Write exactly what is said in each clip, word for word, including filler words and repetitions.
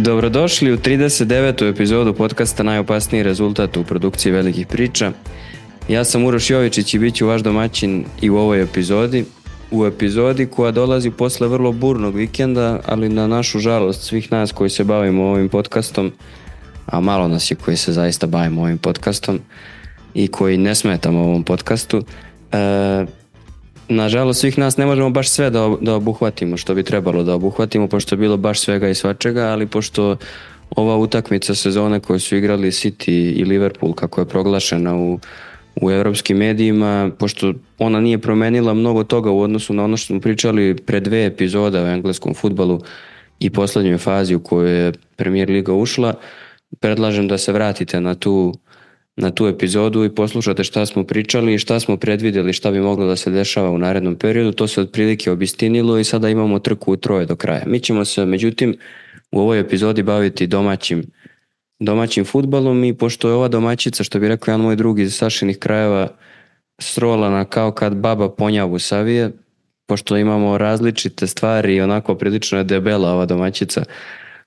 Dobrodošli u trideset devetu epizodu podcasta Najopasniji rezultat u produkciji velikih priča. Ja sam Uroš Jovičić i bit ću vaš domaćin i u ovoj epizodi. U epizodi koja dolazi posle vrlo burnog vikenda, ali na našu žalost svih nas koji se bavimo ovim podcastom, a malo nas je koji se zaista bavimo ovim podcastom i koji ne smetamo ovom podcastu, e, nažalost svih nas ne možemo baš sve da, da obuhvatimo što bi trebalo da obuhvatimo, pošto je bilo baš svega i svačega, ali pošto ova utakmica sezone koju su igrali City i Liverpool, kako je proglašena u, u evropskim medijima, pošto ona nije promenila mnogo toga u odnosu na ono što smo pričali pre dve epizode o engleskom fudbalu i poslednjoj fazi u kojoj je Premier Liga ušla, predlažem da se vratite na tu na tu epizodu i poslušate šta smo pričali i šta smo predvidjeli, šta bi moglo da se dešava u narednom periodu. To se otprilike obistinilo i sada imamo trku u troje do kraja. Mi ćemo se, međutim, u ovoj epizodi baviti domaćim, domaćim fudbalom i pošto je ova domaćica, što bi rekao jedan moj drug iz Sašinih krajeva, srolana kao kad baba ponjavu savije, pošto imamo različite stvari i onako prilično je debela ova domaćica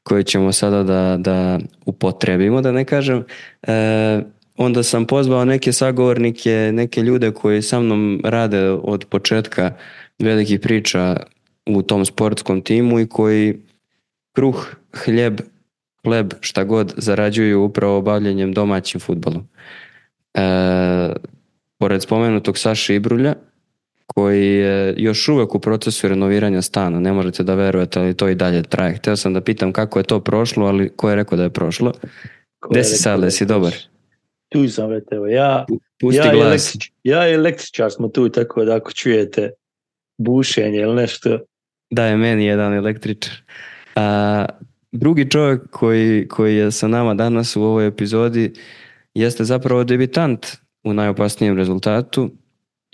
koju ćemo sada da, da upotrebimo, da ne kažem, e, onda sam pozvao neke sagovornike, neke ljude koji sa mnom rade od početka velikih priča u tom sportskom timu i koji kruh, hljeb, hleb, šta god zarađuju upravo bavljenjem domaćim fudbalom. E, pored spomenutog Saše Ibrulja, koji je još uvek u procesu renoviranja stana, ne možete da verujete, ali to i dalje traje. Hteo sam da pitam kako je to prošlo, ali ko je rekao da je prošlo? Gde si sad, da si dobar? Tu sam, vrete, evo, ja, Pusti ja, glas. električ, ja i električar smo tu, tako da ako čujete bušenje ili nešto. Da, je meni jedan električar. A, drugi čovjek koji, koji je sa nama danas u ovoj epizodi jeste zapravo debitant u Najopasnijem rezultatu.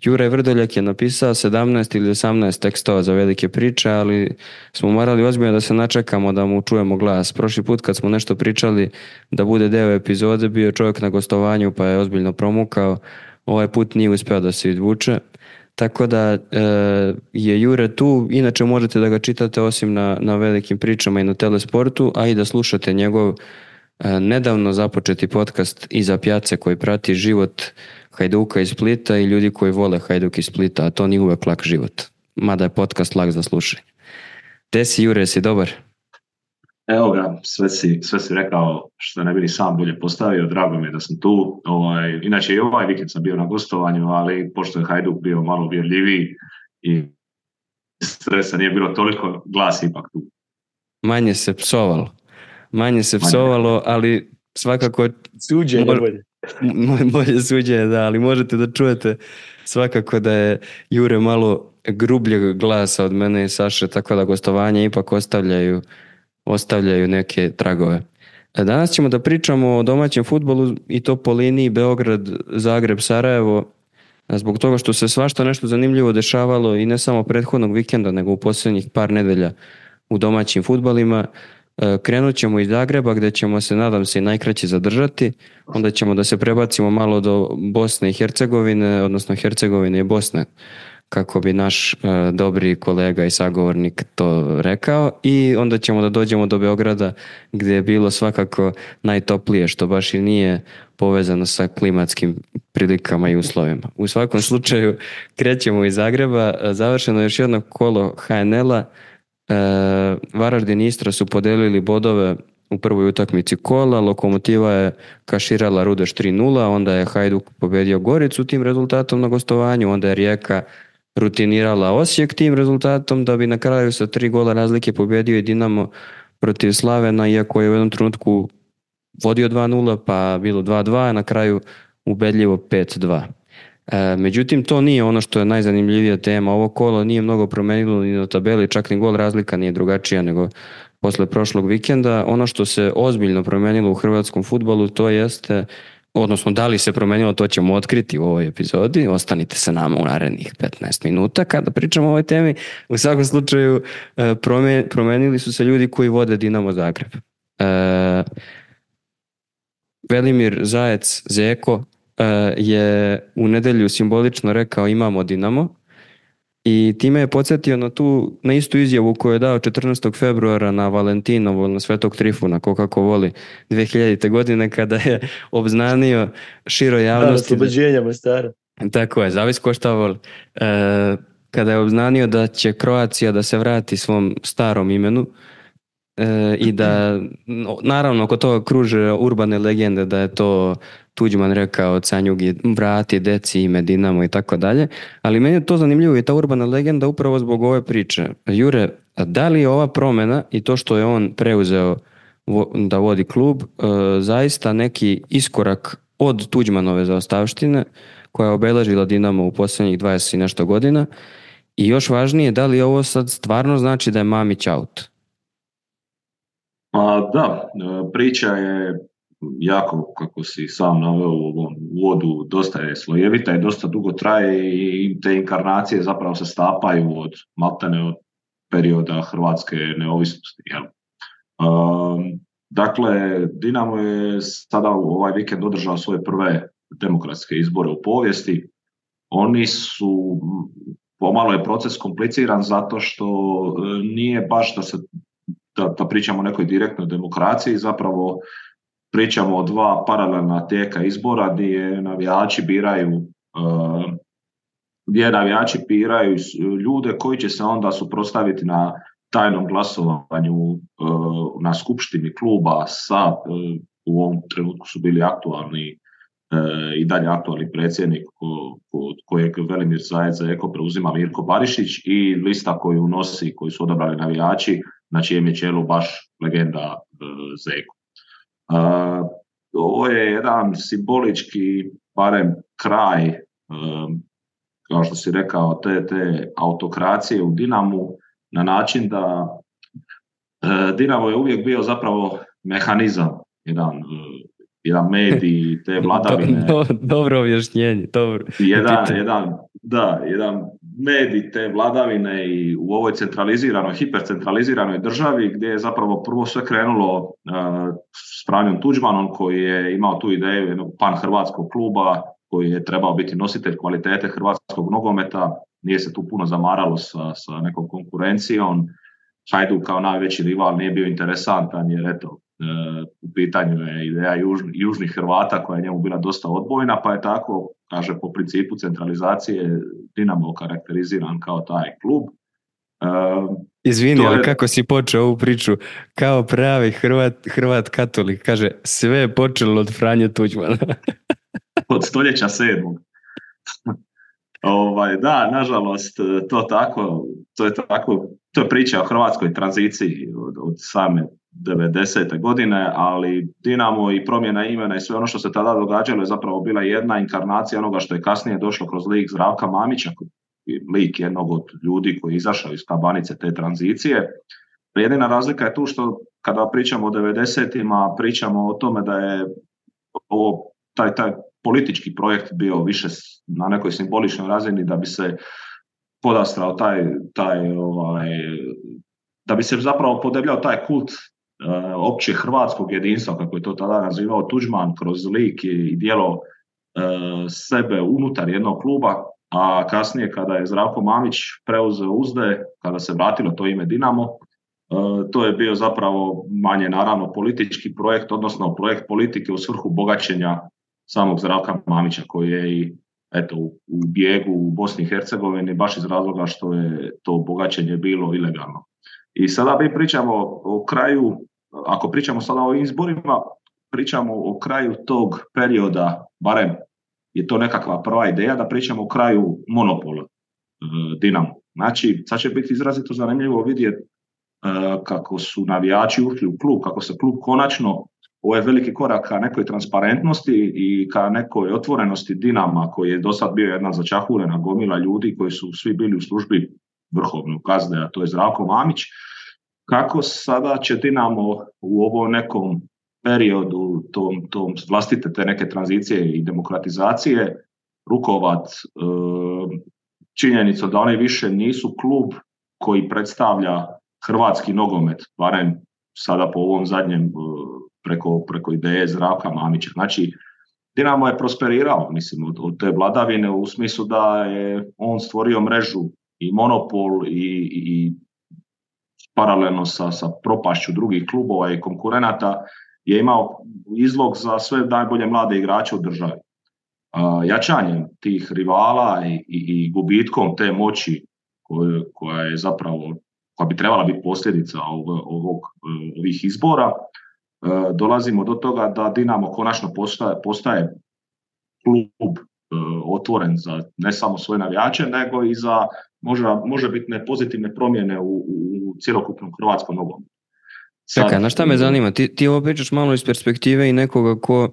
Jure Vrdoljak je napisao sedamnaest ili osamnaest tekstova za velike priče, ali smo morali ozbiljno da se načekamo da mu čujemo glas. Prošli put kad smo nešto pričali da bude deo epizode, bio je čovjek na gostovanju pa je ozbiljno promukao. Ovaj put nije uspeo da se izvuče. Tako da e, je Jure tu. Inače možete da ga čitate osim na, na velikim pričama i na Telesportu, a i da slušate njegov e, nedavno započeti podcast Iza pjace koji prati život Hajduka iz Splita i ljudi koji vole Hajduk iz Splita, a to nije uvek lak život. Mada je podcast lak za slušanje. Gde si, Jure, si dobar? Evo ga, sve si, sve si rekao što ne bi ni sam bolje postavio, drago mi je da sam tu. Ovaj, inače i ovaj vikend sam bio na gostovanju, ali pošto je Hajduk bio malo uvjerljiviji i stresa nije bilo toliko, glas ipak tu. Manje se psovalo. Manje se psovalo, ali svakako... Suđenje mor... bolje. Bolje suđenje, da, ali možete da čujete svakako da je Jure malo grubljeg glasa od mene i Saše, tako da gostovanja ipak ostavljaju, ostavljaju neke tragove. Danas ćemo da pričamo o domaćem fudbalu i to po liniji Beograd, Zagreb, Sarajevo, zbog toga što se svašta nešto zanimljivo dešavalo i ne samo prethodnog vikenda, nego u posljednjih par nedelja u domaćim fudbalima. Krenut ćemo iz Zagreba gdje ćemo se, nadam se, i najkraće zadržati, onda ćemo da se prebacimo malo do Bosne i Hercegovine, odnosno Hercegovine i Bosne, kako bi naš uh, dobri kolega i sagovornik to rekao, i onda ćemo da dođemo do Beograda gdje je bilo svakako najtoplije, što baš i nije povezano sa klimatskim prilikama i uslovima. U svakom slučaju krećemo iz Zagreba, završeno je još jedno kolo ha en el-a. E, Varaždin i Istra su podelili bodove u prvoj utakmici kola, Lokomotiva je kaširala Rudeš tri nula, onda je Hajduk pobedio Goricu tim rezultatom na gostovanju, onda je Rijeka rutinirala Osijek tim rezultatom, da bi na kraju sa tri gola razlike pobedio i Dinamo protiv Slavena, iako je u jednom trenutku vodio dva nula pa bilo dva dva, a na kraju ubedljivo pet dva. E, međutim, to nije ono što je najzanimljivija tema. Ovo kolo nije mnogo promenilo ni na tabeli, čak ni gol razlika nije drugačija nego posle prošlog vikenda. Ono što se ozbiljno promenilo u hrvatskom fudbalu, to jeste, odnosno da li se promenilo, to ćemo otkriti u ovoj epizodi. Ostanite sa nama u narednih petnaest minuta kada pričamo o ovoj temi. U svakom slučaju promenili su se ljudi koji vode Dinamo Zagreb. E, Velimir Zajec Zeko je u nedelju simbolično rekao imamo Dinamo, I time je podsjetio na tu, na istu izjavu koju je dao četrnaestog februara na Valentinovo, na Svetog Trifuna, ko kako voli, dve hiljadite. godine, kada je obznanio široj javnosti. Da, oslobođenja Mostara. Tako je, zavis ko šta voli. E, kada je obznanio da će Kroacija da se vrati svom starom imenu, e, i da, naravno, oko toga kruže urbane legende da je to Tuđman rekao Canjugi, vrati deci ime Dinamo i tako dalje, ali meni je to zanimljivo i ta urbana legenda upravo zbog ove priče. Jure, da li je ova promjena i to što je on preuzeo da vodi klub e, zaista neki iskorak od Tuđmanove zaostavštine koja je obeležila Dinamo u posljednjih dvadeset i nešto godina, i još važnije, da li ovo sad stvarno znači da je Mamić out? A, da, priča je jako, kako si sam naveo u ovom uvodu, dosta je slojevita i dosta dugo traje i te inkarnacije zapravo se stapaju od maltene od perioda hrvatske neovisnosti. Jel? Um, dakle, Dinamo je sada u ovaj vikend održao svoje prve demokratske izbore u povijesti. Oni su, pomalo je proces kompliciran zato što nije baš da se da, da pričamo o nekoj direktnoj demokraciji, zapravo pričamo o dva paralelna tijeka izbora gdje navijači biraju uh, gdje navijači biraju ljude koji će se onda suprotstaviti na tajnom glasovanju uh, na skupštini kluba sa, uh, u ovom trenutku su bili aktualni uh, i dalje aktualni predsjednik ko, ko, kojeg Velimir Zajec za Eko preuzima Mirko Barišić i lista koju nosi, koju su odabrali navijači, na čijem je čelu baš legenda uh, Zeko. Uh, ovo je jedan simbolički, barem kraj, um, kao što si rekao, te, te autokracije u Dinamu, na način da uh, Dinamo je uvijek bio zapravo mehanizam, jedan, uh, jedan medij, te vladavine. Do, do, dobro objašnjenje, dobro. Jedan, jedan, da, jedan medij te vladavine i u ovoj centraliziranoj, hipercentraliziranoj državi gdje je zapravo prvo sve krenulo uh, s Franjom Tuđmanom koji je imao tu ideju jednog pan-hrvatskog kluba koji je trebao biti nositelj kvalitete hrvatskog nogometa, nije se tu puno zamaralo sa, sa nekom konkurencijom. Hajduk kao najveći rival nije bio interesantan jer eto, uh, u pitanju je ideja južni, južnih Hrvata koja je njemu bila dosta odbojna, pa je tako, kaže, po principu centralizacije Dinamo karakteriziran kao taj klub. Uh, Izvini, je... ali kako si počeo ovu priču kao pravi Hrvat, Hrvat katolik, kaže, sve je počelo od Franje Tuđmana. Od stoljeća sedmog. ovaj, da, nažalost, to tako, to je tako, to je priča o hrvatskoj tranziciji od, od same devedesete godine, ali Dinamo i promjena imena i sve ono što se tada događalo je zapravo bila jedna inkarnacija onoga što je kasnije došlo kroz lik Zdravka Mamića, lik jednog od ljudi koji je izašao iz kabanice te tranzicije. Jedina razlika je tu što kada pričamo o devedesetima, pričamo o tome da je ovo, taj, taj politički projekt bio više na nekoj simboličnoj razini da bi se podastrao taj, taj ovaj, da bi se zapravo podebljao taj kult uh, opće hrvatskog jedinstva, kako je to tada nazivao Tuđman, kroz lik i djelo uh, sebe unutar jednog kluba, a kasnije kada je Zdravko Mamić preuzeo uzde, kada se vratilo to ime Dinamo, uh, to je bio zapravo manje naravno politički projekt, odnosno projekt politike u svrhu bogaćenja samog Zdravka Mamića, koji je i eto, u, u bijegu u Bosni i Hercegovini baš iz razloga što je to bogaćenje bilo ilegalno. I sada mi pričamo o kraju, ako pričamo sada o izborima, pričamo o kraju tog perioda, barem je to nekakva prva ideja, da pričamo o kraju monopola e, Dinamo. Znači, sad će biti izrazito zanimljivo vidjeti e, kako su navijači ušli u klub, kako se klub konačno, ovo je veliki korak ka nekoj transparentnosti i ka nekoj otvorenosti Dinama, koji je do sad bio jedna začahurena gomila ljudi koji su svi bili u službi vrhovnog gazde, a to je Zdravko Mamić. Kako sada će Dinamo u ovom nekom periodu, tom, tom vlastite te neke tranzicije i demokratizacije, rukovat e, činjenicom da oni više nisu klub koji predstavlja hrvatski nogomet, barem sada po ovom zadnjem e, preko, preko ideje Zdravka Mamića. Znači, Dinamo je prosperirao, mislim, od, od te vladavine u smislu da je on stvorio mrežu i monopol i, i paralelno sa, sa propašću drugih klubova i konkurenata je imao izlog za sve najbolje mlade igrače u državi. Uh, jačanjem tih rivala i, i, i gubitkom te moći koje, koja je zapravo, koja bi trebala biti posljedica ovog, ovog, ovih izbora, uh, dolazimo do toga da Dinamo konačno postaje, postaje klub uh, otvoren za ne samo svoje navijače, nego i za možda, može biti pozitivne promjene u, u cjelokupnom hrvatskom nogometu. Čekaj, na šta me zanima? Ti, ti ovo pričaš malo iz perspektive i nekoga ko,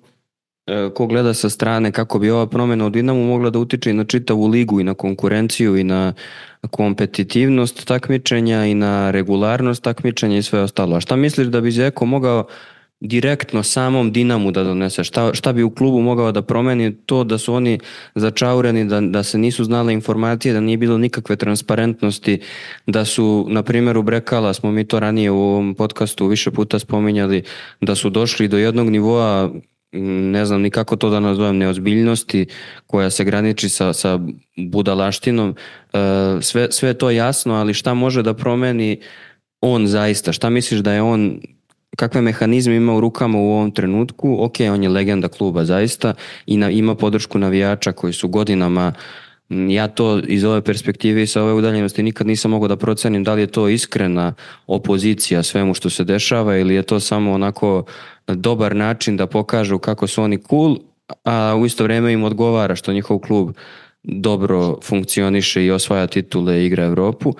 ko gleda sa strane kako bi ova promjena u Dinamu mogla da utiče i na čitavu ligu i na konkurenciju i na kompetitivnost takmičenja i na regularnost takmičenja i sve ostalo. A šta misliš da bi Zeko mogao direktno samom Dinamu da donese? Šta, šta bi u klubu mogao da promeni to da su oni začaureni, da, da se nisu znale informacije, da nije bilo nikakve transparentnosti, da su, na primjer, u Brekala, smo mi to ranije u ovom podcastu više puta spominjali, da su došli do jednog nivoa, ne znam ni kako to da nazovem, neozbiljnosti koja se graniči sa, sa budalaštinom. Sve, sve je to jasno, ali šta može da promeni on zaista? Šta misliš da je on, kakve mehanizme ima u rukama u ovom trenutku? Ok, on je legenda kluba zaista i na, ima podršku navijača koji su godinama, ja to iz ove perspektive i sa ove udaljenosti nikad nisam mogao da procenim da li je to iskrena opozicija svemu što se dešava ili je to samo onako dobar način da pokažu kako su oni cool, a u isto vrijeme im odgovara što njihov klub dobro funkcioniše i osvaja titule i igra Europu.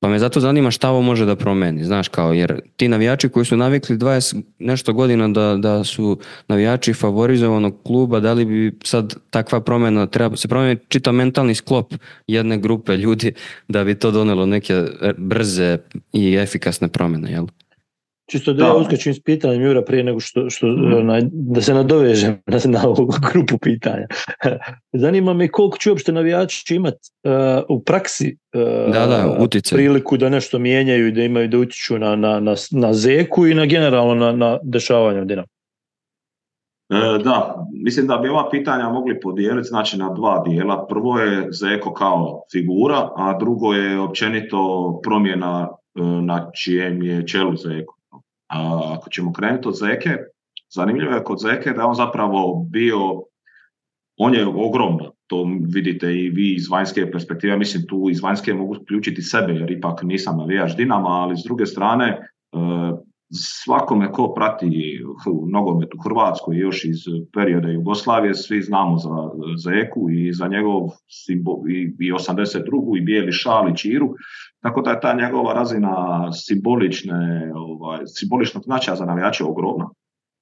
Pa me zato zanima šta ovo može da promeni, znaš, kao, jer ti navijači koji su navikli dvadeset nešto godina da, da su navijači favorizovanog kluba, da li bi sad takva promjena, treba se promijeniti čitav mentalni sklop jedne grupe ljudi da bi to donelo neke brze i efikasne promjene, jel? Čisto da ja uskačim s pitanjem, Jura, prije nego što, što mm. na, da se nadovežem na, na ovu grupu pitanja. Zanima me koliko će uopšte navijači imati uh, u praksi uh, da, da, utjecaj, priliku da nešto mijenjaju i da imaju da utiču na, na, na, na Zeku i na generalno na, na dešavanje u Dinamu. E, da, mislim da bi ova pitanja mogli podijeliti znači na dva dijela. Prvo je Zeko kao figura, a drugo je općenito promjena e, na čijem je čelu Zeko. A ako ćemo krenuti od Zeke, zanimljivo je kod Zeke da je on zapravo bio, on je ogromno, to vidite i vi iz vanjske perspektive, mislim tu iz vanjske mogu uključiti sebe jer ipak nisam navijač Dinama, ali s druge strane svakome ko prati nogomet u Hrvatskoj još iz perioda Jugoslavije, svi znamo za Zeku i za njegov simbol, i, i osamdeset drugu i bijeli šal i čiru, tako da je ta njegova razina simbolične, ovaj, simboličnog značaja za navijače ogromna.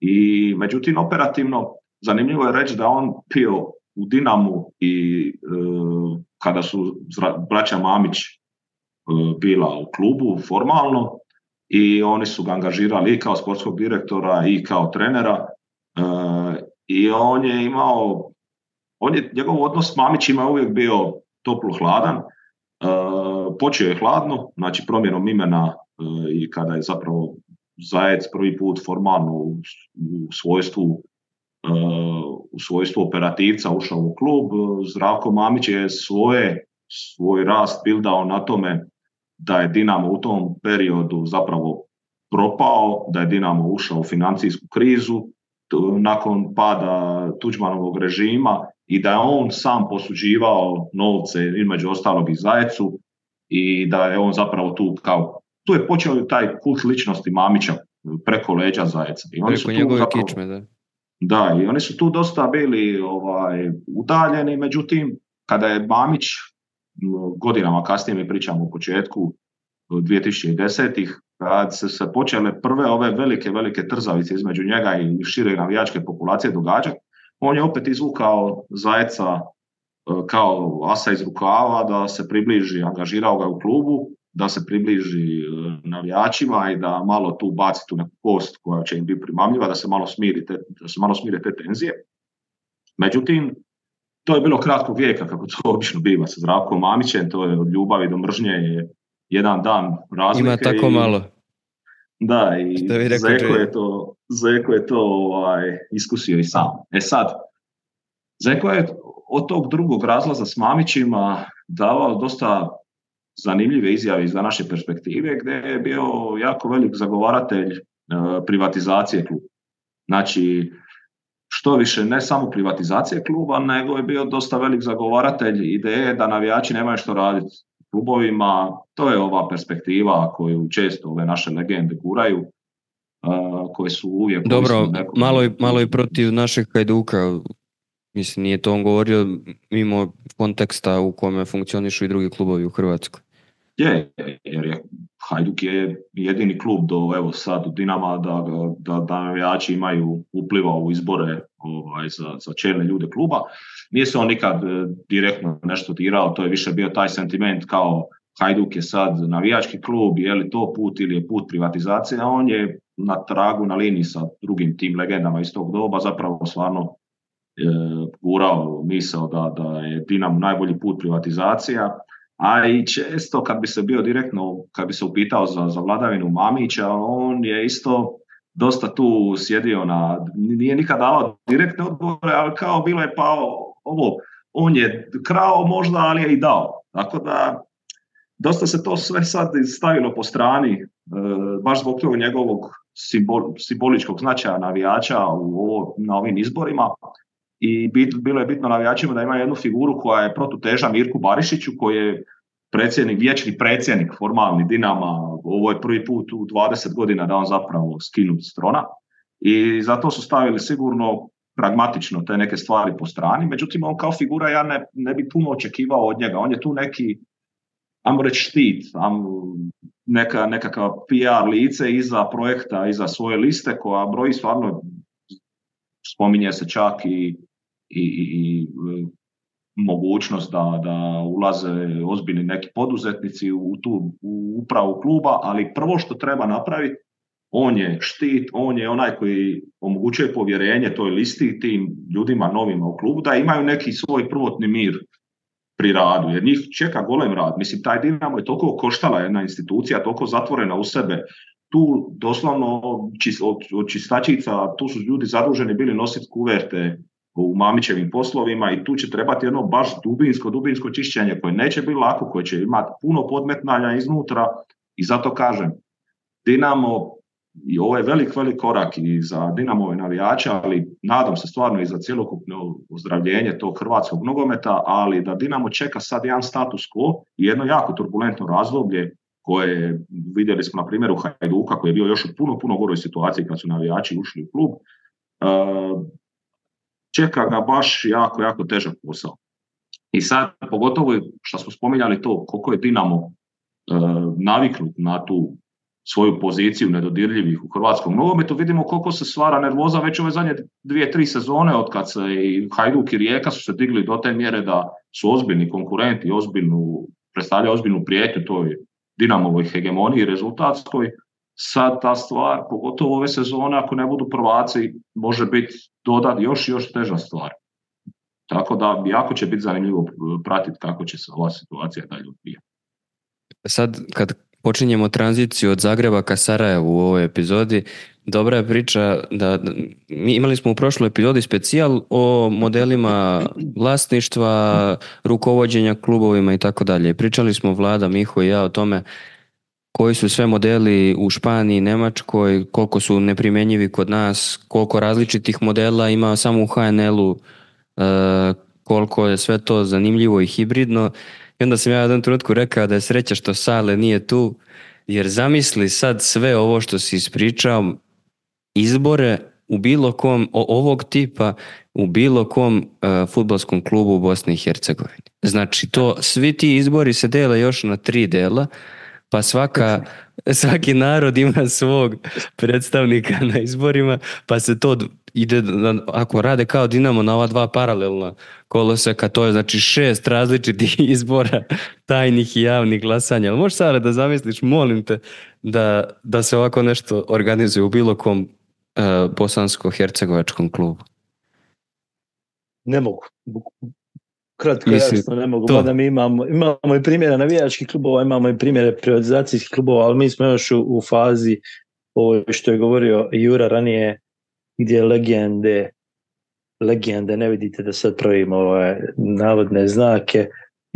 I međutim, operativno, zanimljivo je reći da on bio u Dinamu i e, kada su braća Mamić e, bila u klubu formalno, i oni su ga angažirali i kao sportskog direktora i kao trenera e, i on je imao, on je, njegov odnos s Mamićima je uvijek bio toplo-hladan, e, počeo je hladno, znači promjenom imena e, i kada je zapravo Zajec prvi put formalno u, u svojstvu e, u svojstvu operativca ušao u klub, Zdravko Mamić je svoje, svoj rast bildao na tome da je Dinamo u tom periodu zapravo propao, da je Dinamo ušao u financijsku krizu nakon pada Tuđmanovog režima i da je on sam posuđivao novce između ostalog i Zajecu i da je on zapravo tu kao, tu je počeo taj kult ličnosti Mamića preko leđa Zajeca. I oni preko su tu njegove zapravo, kičme, da. Da, i oni su tu dosta bili ovaj, udaljeni, međutim, kada je Mamić godinama kasnije, mi pričamo u početku dvije tisuće desetih, kad se, se počele prve ove velike, velike trzavice između njega i šire navijačke populacije događati, on je opet izvukao Zajeca kao asa iz rukava da se približi, angažirao ga u klubu, da se približi navijačima i da malo tu baci tu neku kost koja će im biti primamljiva, da se malo smiri te, da se malo smire te tenzije. Međutim, to je bilo kratkog vijeka, kako to obično biva sa Zdravkom Mamićem, to je od ljubavi do mržnje je jedan dan razlike. Ima tako i, malo. Da, i Zeko je to, Zeko je to ovaj, iskusio i sam. E sad, Zeko je od tog drugog razlaza s Mamićima davao dosta zanimljive izjave iz naše perspektive, gdje je bio jako velik zagovaratelj uh, privatizacije kluba. Znači, što više, ne samo privatizacije kluba, nego je bio dosta velik zagovaratelj ideje da navijači nemaju što raditi u klubovima. To je ova perspektiva koju često ove naše legende guraju, uh, koje su uvijek... Dobro, nekom... malo, i, malo i protiv našeg Hajduka. Mislim, nije to on govorio mimo konteksta u kome funkcionišu i drugi klubovi u Hrvatskoj. Je, jer je Hajduk je jedini klub do evo sad u Dinama da, da, da navijači imaju upliva u izbore ovaj, za, za čelne ljude kluba. Nije se on nikad direktno nešto dirao, to je više bio taj sentiment kao Hajduk je sad navijački klub, je li to put ili je put privatizacije, a on je na tragu, na liniji sa drugim tim legendama iz tog doba zapravo stvarno e, gurao misao da, da je Dinamo najbolji put privatizacija. A i često kad bi se bio direktno, kad bi se upitao za, za vladavinu Mamića, on je isto dosta tu sjedio na, nije nikad davao direktne odgovore, ali kao bilo je pa ovo, on je krao možda, ali je i dao. Tako da dosta se to sve sad stavilo po strani, e, baš zbog tog njegovog simbol, simboličkog značaja navijača u ovo, na ovim izborima. I bit, bilo je bitno navijačima da ima jednu figuru koja je protuteža Mirku Barišiću, koji je predsjednik, vječni predsjednik formalni Dinama. Ovo je prvi put u dvadeset godina da on zapravo skinut s trona. I zato su stavili sigurno pragmatično te neke stvari po strani. Međutim, on kao figura ja ne, ne bi puno očekivao od njega. On je tu neki, ajmo reći, štit, neka, nekakav P R lice iza projekta, iza svoje liste koja broji stvarno, spominje se čak i I, i, i mogućnost da, da ulaze ozbiljni neki poduzetnici u tu u upravu kluba, ali prvo što treba napraviti, on je štit, on je onaj koji omogućuje povjerenje toj listi, tim ljudima novima u klubu, da imaju neki svoj prvotni mir pri radu, jer njih čeka golem rad. Mislim, taj Dinamo je toliko koštala jedna institucija, toliko zatvorena u sebe, tu doslovno od, od čistačica, tu su ljudi zaduženi bili nositi kuverte u Mamićevim poslovima i tu će trebati jedno baš dubinsko, dubinsko čišćenje koje neće biti lako, koje će imati puno podmetnanja iznutra i zato kažem, Dinamo, i ovo je velik, velik korak i za Dinamove navijača, ali nadam se stvarno i za cjelokupno ozdravljenje tog hrvatskog nogometa, ali da Dinamo čeka sad jedan status quo i jedno jako turbulentno razdoblje koje vidjeli smo na primjeru Hajduka koji je bio još u puno, puno goroj situaciji kad su navijači ušli u klub. Uh, čeka ga baš jako, jako težak posao. I sad, pogotovo što smo spominjali to, koliko je Dinamo uh, naviknut na tu svoju poziciju nedodirljivih u hrvatskom nogometu, vidimo koliko se stvara nervoza već ove zadnje dvije, tri sezone od kad se i Hajduk i Rijeka su se digli do te mjere da su ozbiljni konkurenti, ozbiljnu, predstavljaju ozbiljnu prijetnju toj Dinamovoj hegemoniji rezultatskoj. Sad ta stvar, pogotovo ove sezone, ako ne budu prvaci, može biti dodat još još teža stvar. Tako da jako će biti zanimljivo pratiti kako će se ova situacija dalje odvijati. Sad kad počinjemo tranziciju od Zagreba ka Sarajevu u ovoj epizodi, dobra je priča da, da mi imali smo u prošloj epizodi specijal o modelima vlasništva, rukovođenja klubovima i tako dalje. Pričali smo Vlada, Miho i ja o tome koji su sve modeli u Španiji, Njemačkoj, koliko su neprimjenjivi kod nas, koliko različitih modela ima samo u H N L-u, e, koliko je sve to zanimljivo i hibridno. I onda sam ja u jednom trenutku rekao da je sreća što Sale nije tu, jer zamisli sad sve ovo što si ispričao, izbore u bilo kom, ovog tipa, u bilo kom uh, fudbalskom klubu u Bosni i Hercegovini. Znači, to, svi ti izbori se dele još na tri dela, pa svaka, svaki narod ima svog predstavnika na izborima, pa se to ide, ako rade kao Dinamo na ova dva paralelna koloseka, to je znači šest različitih izbora tajnih i javnih glasanja. Ali možeš sada da zamisliš, molim te, da, da se ovako nešto organizuje u bilo kom uh, bosansko-hercegovačkom klubu? Ne mogu. Kratko, jasno, ne mogu. Mada mi imamo, imamo i primjere navijačkih klubova, imamo i primjere privatizacijskih klubova, ali mi smo još u, u fazi ovo što je govorio Jura ranije, gdje legende, legende, ne vidite da sad pravimo ove navodne znake,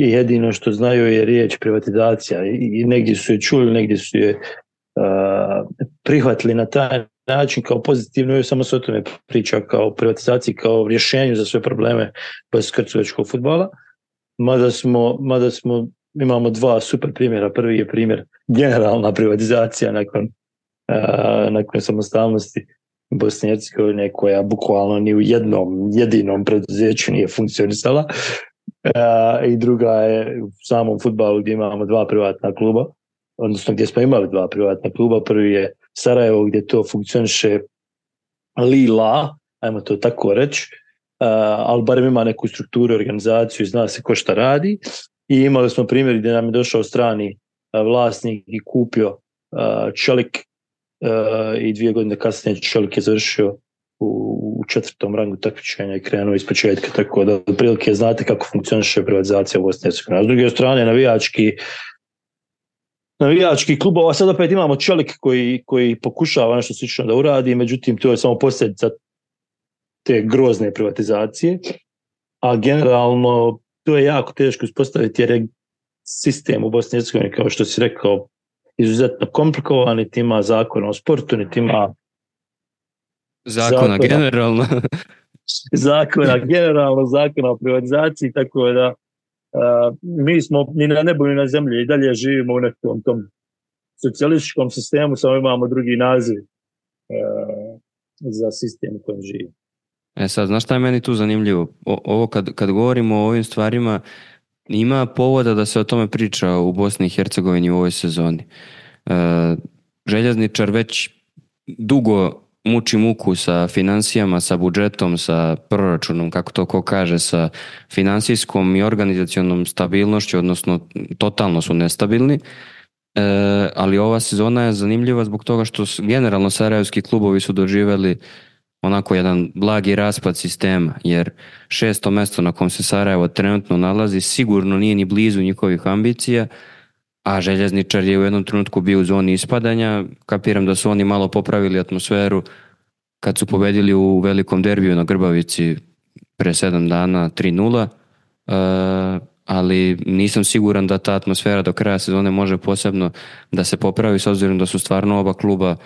i jedino što znaju je riječ privatizacija i negdje su je čuli, negdje su je uh, prihvatili na taj način kao pozitivno, i samo se o tome priča kao privatizaciji, kao rješenju za sve probleme bosansko-hercegovačkog fudbala. Mada smo, mada smo, imamo dva super primjera. Prvi je primjer generalna privatizacija nakon, uh, nakon samostalnosti Bosne i Hercegovine, koja bukvalno ni u jednom jedinom preduzeću nije funkcionisala. Uh, I druga je u samom fudbalu gdje imamo dva privatna kluba, odnosno gdje smo imali dva privatna kluba. Prvi je Sarajevo gdje to funkcioniše lila, ajmo to tako reći, uh, ali barem ima neku strukturu, organizaciju, zna se ko šta radi. I imali smo primjer gdje nam je došao strani uh, vlasnik i kupio uh, Čelik uh, i dvije godine kasnije Čelik je završio u, u četvrtom rangu takmičenja i krenuo iz početka, tako da otprilike znate kako funkcioniše privatizacija u Bosni i Hercegovini. S druge strane, navijački navijački klubova, a sad opet imamo Čelik koji, koji pokušava nešto slično da uradi, međutim to je samo posljedica te grozne privatizacije, a generalno to je jako teško uspostaviti jer je sistem u Bosni i Hercegovini, kao što si rekao, izuzetno komplikovan, niti ima zakona o sportu, niti ima zakona, zakona generalno zakona generalno, zakona o privatizaciji, tako da Uh, mi smo ni na nebu ni na zemlji i dalje živimo u nekom tom socijalističkom sistemu, samo imamo drugi naziv uh, za sistem u kojem živimo. E sad, znaš šta je meni tu zanimljivo? O, ovo kad, kad govorimo o ovim stvarima, ima povoda da se o tome priča u Bosni i Hercegovini u ovoj sezoni. Uh, Željezničar već dugo muči muku sa financijama, sa budžetom, sa proračunom, kako to ko kaže, sa financijskom i organizacionom stabilnošću, odnosno totalno su nestabilni. E, ali ova sezona je zanimljiva zbog toga što generalno sarajevski klubovi su doživjeli onako jedan blagi raspad sistema, jer šesto mjesto na kom se Sarajevo trenutno nalazi sigurno nije ni blizu njihovih ambicija, a Željezničar je u jednom trenutku bio u zoni ispadanja. Kapiram da su oni malo popravili atmosferu kad su pobedili u velikom derbiju na Grbavici pre sedam dana tri nula, e, ali nisam siguran da ta atmosfera do kraja sezone može posebno da se popravi, s obzirom da su stvarno oba kluba,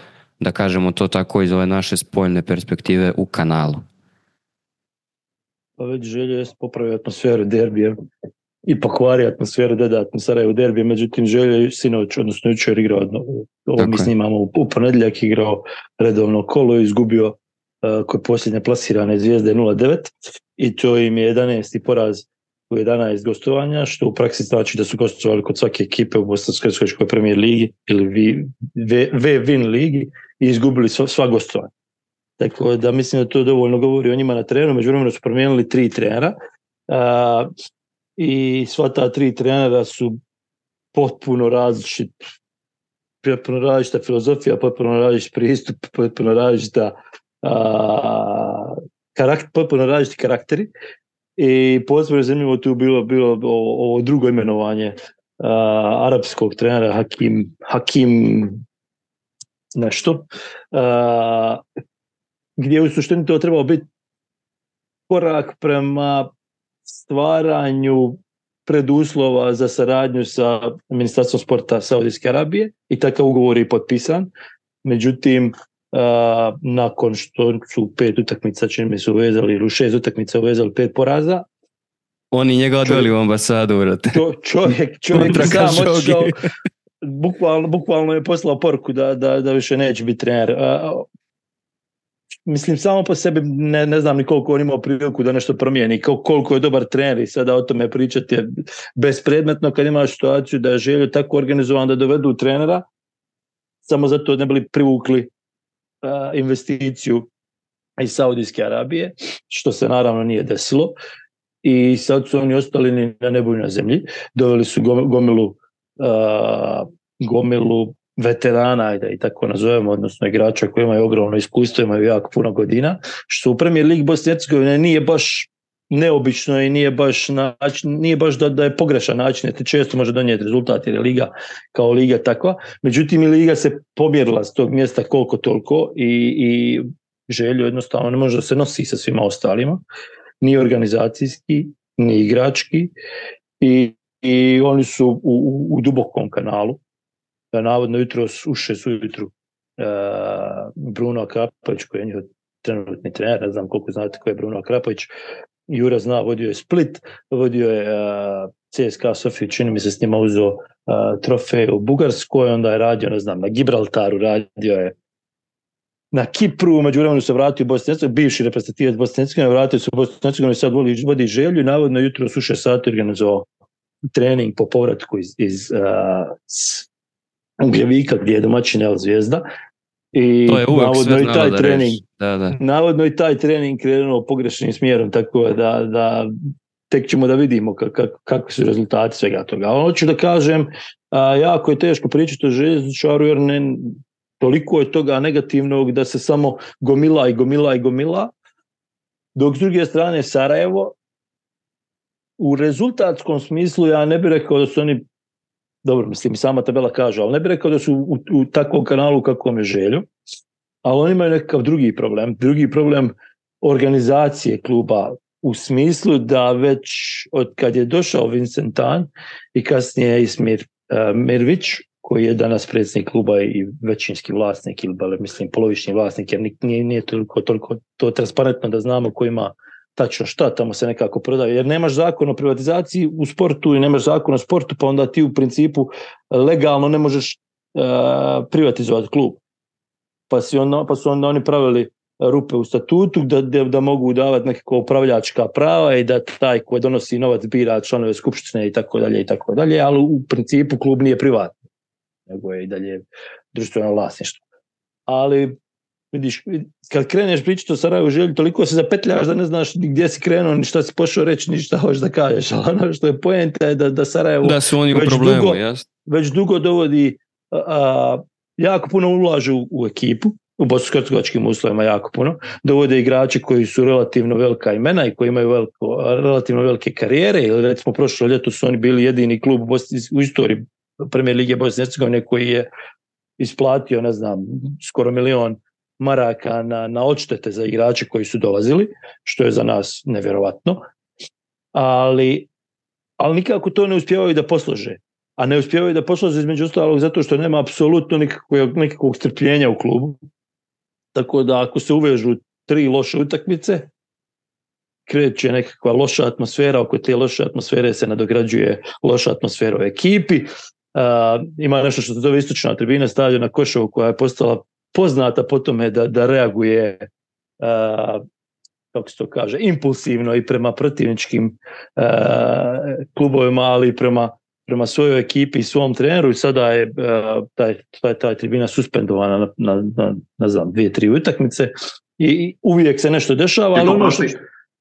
da kažemo to tako, iz ove naše spoljne perspektive u kanalu. Pa već Želje je popravio atmosferu derbija i pokvari atmosferu dodatno Sarajevo derbije, međutim Želje je sinoć, odnosno jučer igrao, ovo mi snimamo u, u ponedjeljak, igrao redovno kolo i izgubio uh, kod posljednje plasirane Zvijezde nula devet i to im je jedanaesti poraz u jedanaest gostovanja, što u praksi znači da su gostovali kod svake ekipe u Bosansko-hercegovačkoj premijer ligi ili V-Win ligi i izgubili sva, sva gostovanja. Tako da mislim da to dovoljno govori o njima na terenu. Međuvremenu su promijenili tri trenera uh, i sva ta tri trenera su potpuno različit, potpuno različita filozofija, potpuno različit pristup, potpuno različita uh, karakter, potpuno različiti karakteri. I posebno zanimljivo tu bilo bilo ovo drugo imenovanje uh, arapskog trenera Hakim Hakim nešto uh, gdje u suštini to trebao biti korak prema stvaranju preduslova za saradnju sa Ministarstvom sporta Saudijske Arabije i takav ugovor je potpisan. Međutim, Uh, nakon što su pet utakmica, čini mi se uvezali, ili šest utakmica uvezali pet poraza. Oni njega odveli u ambasadu, vrate. Čo, čovjek, čovjek sam otišao, bukvalno, bukvalno je poslao poruku da, da, da više neće biti trener. Uh, mislim, samo po sebi ne, ne znam ni koliko on imao priliku da nešto promijeni, koliko je dobar trener i sada o tome pričati je bespredmetno kad imaš situaciju da je Željo tako organizovan da dovedu trenera, samo zato ne bili privukli investiciju iz Saudijske Arabije, što se naravno nije desilo i sad su oni ostali ni na nebu ni na zemlji. Doveli su gomilu uh, gomilu veterana, da i tako nazovemo, odnosno igrača koji imaju ogromno iskustvo, imaju jako puno godina, što u Premier Ligi Bosne i Hercegovine nije baš neobično i nije baš, način, nije baš da, da je pogrešan način, jer te često može donijeti rezultat jer je liga kao liga takva. Međutim, i liga se pomjerila s tog mjesta koliko toliko i, i Željo jednostavno ne može da se nosi sa svima ostalima, ni organizacijski, ni igrački i i oni su u, u, u dubokom kanalu. Navodno jutros uše su jutru uh, Bruno Akrapović koji je njihov trenutni trener, ne znam koliko znate ko je Bruno Akrapović. Jura zna, vodio je Split, vodio je uh, C S K A Sofiju, čini mi se s njima uzeo uh, trofej u Bugarskoj, onda je radio, ne znam, na Gibraltaru, radio je na Kipru, među vremenu se vratio u Bosni i Hercegovini, bivši reprezentativac Bosne i Hercegovine, vratio se u Bosni i Hercegovini, sad vodi, vodi Želju i navodno jutro su šest sati organizovao trening po povratku iz, iz uh, Ugljevika gdje je domaćin El Zvijezda. I to je uvek navodno i taj trening, da, da. navodno i taj trening krenuo pogrešnim smjerom, tako da, da tek ćemo da vidimo kako, kako su rezultati svega toga. Ali hoću da kažem, a, jako je teško pričati o željezničaru jer ne, toliko je toga negativnog da se samo gomila i gomila i gomila. Dok s druge strane Sarajevo, u rezultatskom smislu ja ne bih rekao da su oni, dobro, mislim i sama tabela kaže, ali ne bih rekao da su u, u takvom kanalu kakvom je Želju, ali oni imaju nekakav drugi problem. Drugi problem organizacije kluba u smislu da već od kad je došao Vincent Tan i kasnije Ismir uh, Mirvić, koji je danas predsjednik kluba i većinski vlasnik, ili mislim polovični vlasnik, jer nije, nije toliko, toliko to transparentno da znamo ko ima tačno šta, tamo se nekako prodaje, jer nemaš zakon o privatizaciji u sportu i nemaš zakon o sportu, pa onda ti u principu legalno ne možeš uh, privatizovati klub. Pa, si on, pa su onda oni pravili rupe u statutu da, da, da mogu davati nekako upravljačka prava i da taj ko donosi novac bira članove skupštine i tako dalje i tako dalje, ali u principu klub nije privatni, nego je i dalje društveno vlasništvo. Ali vidiš, kad kreneš pričati o Sarajevu Želju, toliko se zapetljaš da ne znaš gdje si krenuo, ni šta si pošao reći, ni šta hoćeš da kažeš. Ali ono što je poenta je da, da Sarajevo da su oni u problemu, dugo, jasno. Već dugo dovodi, a, a, jako puno ulažu u ekipu, u bosansko-hercegovačkim uslovima jako puno, dovode igrači koji su relativno velika imena i koji imaju veliko, relativno velike karijere, ili recimo prošlo ljeto su oni bili jedini klub u, Bosni, u istoriji Premijer lige Bosne i Hercegovine koji je isplatio, ne znam, skoro milion maraka na, na odštete za igrače koji su dolazili, što je za nas nevjerovatno, ali, ali nikako to ne uspijevaju da poslože. A ne uspijevaju da poslože između ostalog zato što nema apsolutno nikakvog, nikakvog strpljenja u klubu. Tako da ako se uvežu tri loše utakmice, kreće nekakva loša atmosfera, oko te loše atmosfere se nadograđuje loša atmosfera u ekipi. Uh, ima nešto što se zove istočna tribina stavljena na Košovu koja je postala poznata po tome da, da reaguje uh, kako se to kaže, impulsivno i prema protivničkim uh, klubovima, ali i prema, prema svojoj ekipi i svom treneru i sada je uh, taj, taj, taj tribina suspendovana na, na, na, na znam, dvije, tri utakmice i uvijek se nešto dešava. Ali ono što...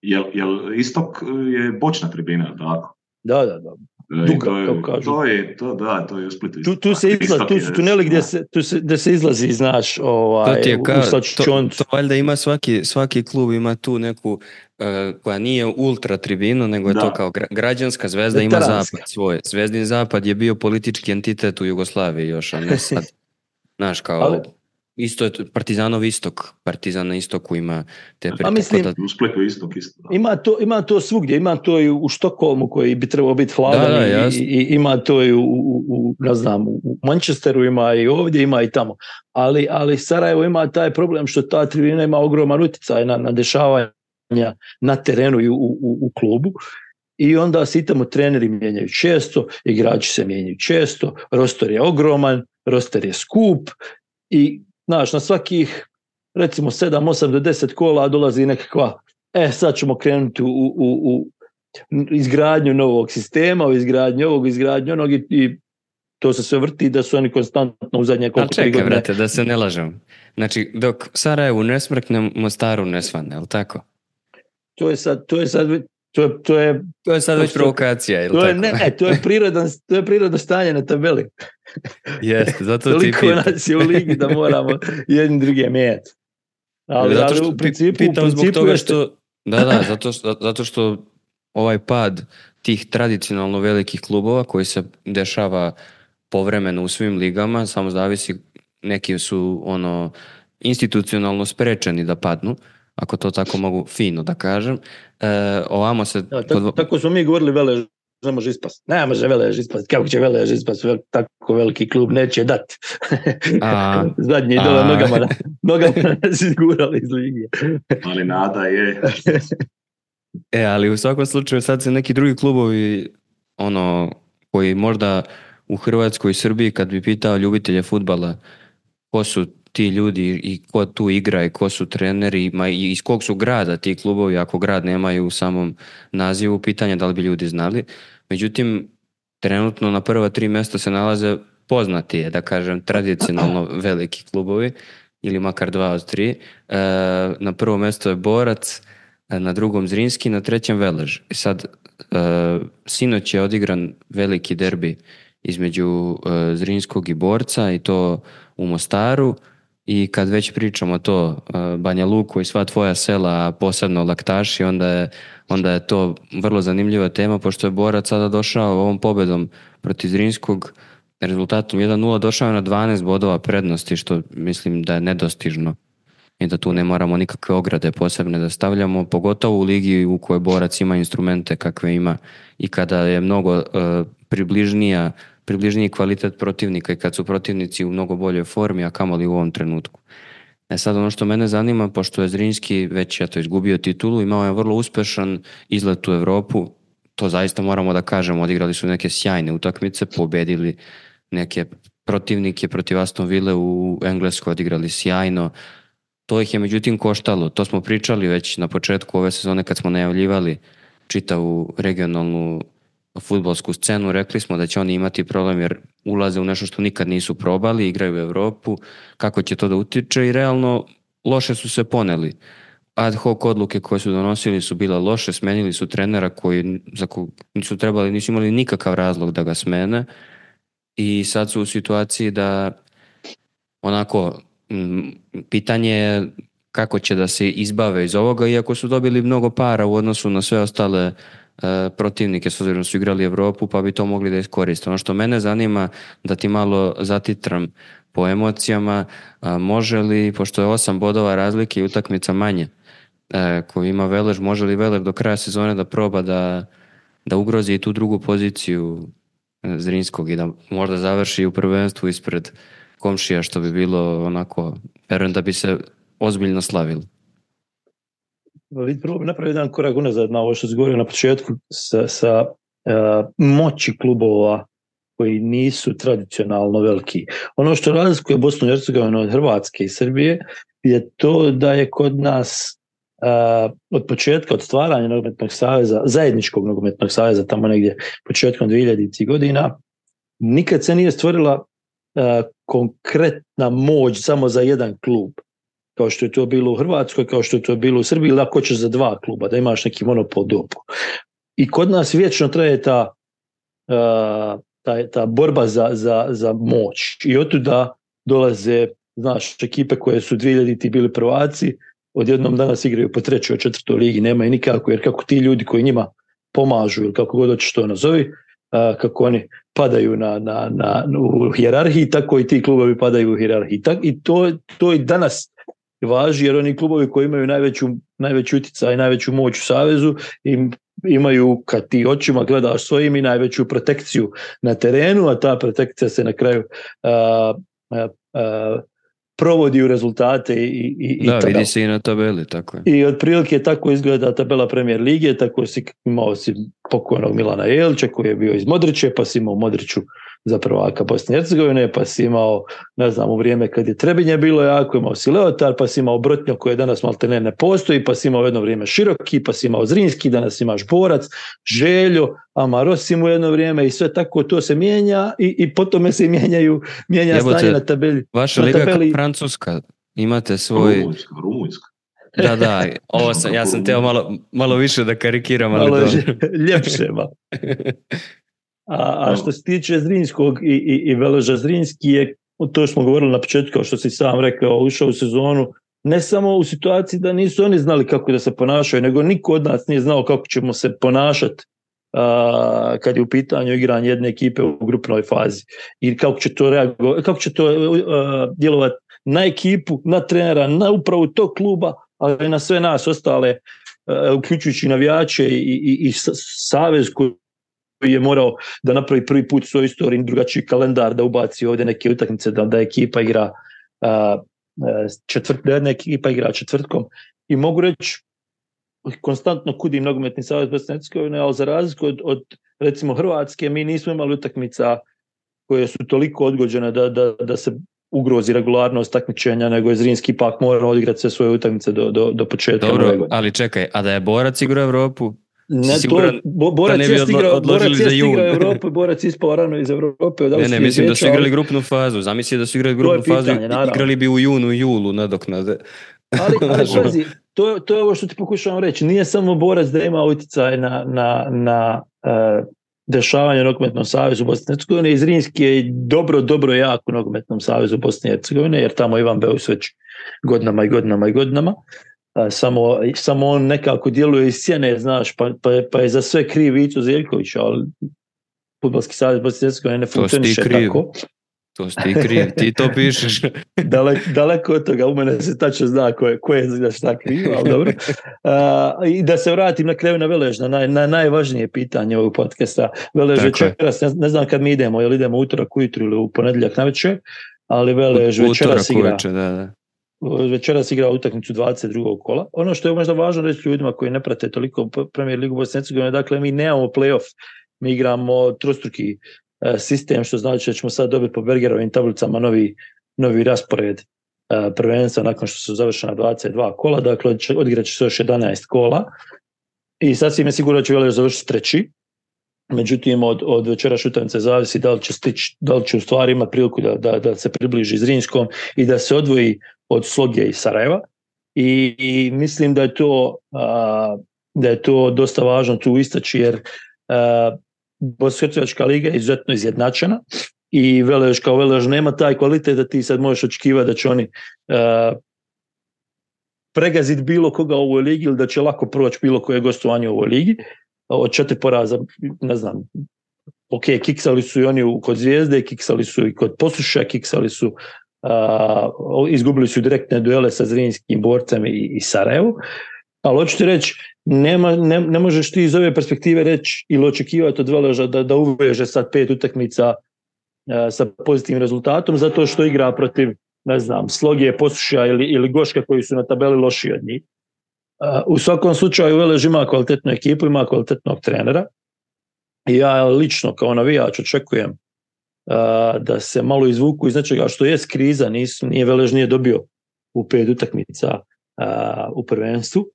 Jel, jel istok je bočna tribina, tako? Da, da, da. Duga, to, je, kažu. to je to da to je u Splitu. Tu, tu se izlazi, tu su tuneli gdje se tu se da se izlazi, znaš, ovaj to, ka, to, to valjda ima svaki svaki klub ima tu neku uh, koja nije ultra tribinu, nego je da. To kao gra, građanska. Zvezda ima zapad svoj. Zvezdin zapad je bio politički entitet u Jugoslaviji još, a ne sad. Znaš, kao ali, isto je Partizanov istok, Partizan na istoku ima te a mislim, da, u Splitu istok isto. Da. Ima to, ima to svugdje, ima to i u Štokholmu koji bi trebao biti hladan da, da, i, i ima to i u, u, u ne znam, u Manchesteru ima i ovdje, ima i tamo. Ali, ali Sarajevo ima taj problem što ta tribina ima ogroman utjecaj na, na dešavanja na terenu i u, u, u klubu. I onda se i tamo treneri mijenjaju često, igrači se mijenjaju često, roster je ogroman, roster je skup i znaš, na svakih recimo sedam, osam do deset kola dolazi nekakva, e sad ćemo krenuti u, u, u izgradnju novog sistema, u izgradnju ovog, izgradnju onog i, i to se sve vrti da su oni konstantno u zadnje koliko čekaj, godine. Brate, da se ne lažem. Znači, dok Sarajevu ne smrkne, Mostaru ne svane, je li tako? To je sad, to je sad, to je, to je, to je sad već provokacija, je li to tako? Je, ne, ne, to je prirodan, to je prirodno stanje na tabeli. Jeste, zato ti pitam. Toliko nas je u ligi da moramo jedni druge mijenjati. Ali, zato ali u principu, u principu zbog toga što, da, da, zato što, zato što ovaj pad tih tradicionalno velikih klubova koji se dešava povremeno u svim ligama, samo zavisi, neki su ono institucionalno sprečeni da padnu, ako to tako mogu fino da kažem. E, ovamo se... Da, tako, tako smo mi govorili Velež ne može ispast. Ne može Velež ispast. Kako će Velež ispast? Tako veliki klub neće dati. Zadnji dole nogama, na, nogama nas izgurali iz lige. Ali nada je. E, ali u svakom slučaju sad se neki drugi klubovi ono, koji možda u Hrvatskoj i Srbiji kad bi pitao ljubitelje fudbala ko su ti ljudi i ko tu igra i ko su treneri ma i iz kog su grada ti klubovi, ako grad nemaju u samom nazivu, pitanje da li bi ljudi znali. Međutim, trenutno na prva tri mjesta se nalaze poznati je, da kažem, tradicionalno veliki klubovi ili makar dva od tri. E, na prvo mjesto je Borac, na drugom Zrinski, na trećem Velež. I sad, e, sinoć je odigran veliki derbi između e, Zrinskog i Borca i to u Mostaru. I kad već pričamo to, Banja Luku i sva tvoja sela, posebno Laktaši, onda je, onda je to vrlo zanimljiva tema, pošto je Borac sada došao ovom pobedom protiv Zrinskog, rezultatom jedan nula došao na dvanaest bodova prednosti, što mislim da je nedostižno i da tu ne moramo nikakve ograde posebne da stavljamo, pogotovo u ligi u kojoj Borac ima instrumente kakve ima i kada je mnogo uh, približnija približniji kvalitet protivnika i kad su protivnici u mnogo boljoj formi, a kamoli u ovom trenutku. E sad ono što mene zanima, pošto je Zrinski već eto, izgubio titulu, imao je vrlo uspešan izlet u Evropu, to zaista moramo da kažemo, odigrali su neke sjajne utakmice, pobedili neke protivnike protiv Aston Ville u Engleskoj, odigrali sjajno, to ih je međutim koštalo, to smo pričali već na početku ove sezone kad smo najavljivali čitavu regionalnu fudbalsku scenu, rekli smo da će oni imati problem jer ulaze u nešto što nikad nisu probali, igraju u Evropu, kako će to da utiče i realno loše su se poneli. Ad hoc odluke koje su donosili su bile loše, smenili su trenera koji za kog nisu trebali, nisu imali nikakav razlog da ga smene i sad su u situaciji da onako m, pitanje je kako će da se izbave iz ovoga, iako su dobili mnogo para u odnosu na sve ostale protivnike, s obzirom su igrali Evropu, pa bi to mogli da iskoriste. Ono što mene zanima, da ti malo zatitram po emocijama, može li, pošto je osam bodova razlike i utakmica manje koju ima Velež, može li Velež do kraja sezone da proba da, da ugrozi i tu drugu poziciju Zrinskog i da možda završi u prvenstvu ispred komšija, što bi bilo onako, verujem da bi se ozbiljno slavilo. Vidi, prvo bi napravio jedan korak unazad na ovo što se govorio na početku sa, sa uh, moći klubova koji nisu tradicionalno veliki. Ono što razlikuje Bosnu i Hercegovinu od Hrvatske i Srbije je to da je kod nas uh, od početka, od stvaranja nogometnog saveza, zajedničkog nogometnog saveza, tamo negdje početkom dvehiljaditih godina, nikad se nije stvorila uh, konkretna moć samo za jedan klub, kao što je to bilo u Hrvatskoj, kao što je to bilo u Srbiji, ili ako ćeš za dva kluba, da imaš neki monopol dobu. I kod nas vječno traje ta, uh, ta, ta borba za, za, za moć. I otuda dolaze, znaš, ekipe koje su dvehiljaditih bili prvaci, odjednom danas igraju po trećoj, četvrtoj ligi, nemaju nikako, jer kako ti ljudi koji njima pomažu, ili kako god hoćeš to nazovi, uh, kako oni padaju na, na, na, u hijerarhiji, tako i ti klubovi padaju u hijerarhiji. I to, to i danas važi, jer oni klubovi koji imaju najveću, najveću utjecaj i najveću moć u savezu im, imaju, kad ti očima gledaš svojim, i najveću protekciju na terenu, a ta protekcija se na kraju uh, uh, uh, provodi u rezultate i, i, da, i vidi se i na tabeli, tako je. I otprilike tako izgleda tabela Premier lige, tako si imao si pokojnog Milana Jelića koji je bio iz Modriće, pa si imao Modriću za prvaka Bosne i Hercegovine, pa si imao, ne znam, u vrijeme kad je Trebinje bilo jako, imao si Leotar, pa si imao Brotnjo koji danas maltene ne postoji, pa si imao jedno vrijeme Široki, pa si imao Zrinski, danas imaš Borac, Željo, Amarosim u jedno vrijeme i sve tako to se mijenja i, i po tome se mijenjaju, mijenja Jebote, stanje na tabeli. Vaša na liga tabeli... Francuska, imate svoj... Rumunjska, Rumunjska. Da, da, ovo sam, ja sam teo malo, malo više da karikiram, ali malo dobro. Ljepše, malo. A, a što se tiče Zrinskog i, i, i Veleža, Zrinski je, to smo govorili na početku, kao što si sam rekao, ušao u sezonu, ne samo u situaciji da nisu oni znali kako da se ponašaju, nego niko od nas nije znao kako ćemo se ponašati a, kad je u pitanju igranje jedne ekipe u grupnoj fazi. I kako će to reagovati, kako će to a, djelovati na ekipu, na trenera, na upravu tog kluba, ali i na sve nas ostale, a, uključujući navijače i, i, i savez koji je morao da napravi prvi put u svojoj istoriji drugačiji kalendar, da ubaci ovdje neke utakmice, da, da ekipa igra a, četvrt, da jedna ekipa igra četvrtkom. I mogu reći, konstantno kudim nogometni savez Bosne i Hercegovine, ali za razliku od, od recimo Hrvatske, mi nismo imali utakmica koje su toliko odgođene da, da, da se ugrozi regularnost takmičenja, nego je Zrinski ipak morao odigrati sve svoje utakmice do, do, do početka. Dobro, ali čekaj, a da je Borac igrao Evropu? Ne, to, bo, Borac je igrao Evropu, Borac ispao rano iz Evrope. Ne, ne, mislim da su igrali grupnu fazu. Zamisli da su igrali grupnu fazu i igrali bi u junu i julu nadoknade. Ali, ali pazi, to, to je ovo što ti pokušavam reći. Nije samo Borac da ima utjecaj na, na, na uh, dešavanje u Nogometnom savezu Bosne i Hercegovine. I Zrinski je dobro, dobro jak u Nogometnom savezu Bosne i Hercegovine, jer tamo Ivan Beus već godinama i godinama i godinama. Uh, samo, samo on nekako djeluje iz sjene, znaš, pa, pa, pa je za sve kriv Vico Zeljković, ali Fudbalski savez Bosne i Hercegovine ne funkcioniše tako. To si ti kriv, ti to pišeš. Daleko, daleko od toga, u mene se tačno zna ko je, ko je za šta kriv, ali dobro. Uh, I da se vratim na kraju na Velež, na, naj, na najvažnije pitanje ovog podcasta. Velež večeras, ne, ne znam kad mi idemo, jel idemo utorak ujutru ili u ponedjeljak navečer, ali Velež večeras igra. Uveče, da, da. Večeras igra utakmicu dvadeset drugog kola. Ono što je možda važno reći ljudima koji ne prate toliko Premier ligu Bosne i Hercegovine, dakle mi nemamo play-off, mi igramo trostruki sistem, što znači da ćemo sad dobiti po Bergerovim tablicama novi, novi raspored uh, prvenstva nakon što su završena dvadeset dva kola, dakle odigrat će se još jedanaest kola i sasvim je sigurno da će Velež završiti treći. Međutim, od, od večerašnje utakmice zavisi da li će stići, da li će u stvari imati priliku da, da, da se približi Zrinskom i da se odvoji od Sloge i Sarajeva. I, i mislim da je to uh, da je to dosta važno tu istaći, jer uh, Bosansko-hercegovačka liga je izuzetno izjednačena i Velež kao Velež nema taj kvalitet da ti sad možeš očekivati da će oni uh, pregaziti bilo koga u ovoj ligi ili da će lako proći bilo koje gostovanje u ovoj ligi. Od četiri poraza, ne znam, ok, kiksali su i oni kod Zvijezde, kiksali su i kod Posuša, kiksali su, uh, izgubili su direktne duele sa Zrinskim, Borcem i, i Sarajevom. Ali hoću ti reći, nema, ne, ne možeš ti iz ove perspektive reći ili očekivati od Veleža da, da uveže sad pet utakmica uh, sa pozitivnim rezultatom, zato što igra protiv, ne znam, Sloge, Posuša ili, ili Goška koji su na tabeli lošiji od njih. Uh, u svakom slučaju Velež ima kvalitetnu ekipu, ima kvalitetnog trenera i ja lično kao navijač očekujem uh, da se malo izvuku iz nečega što je kriza, nisu, nije Velež nije dobio u pet utakmica uh, u prvenstvu.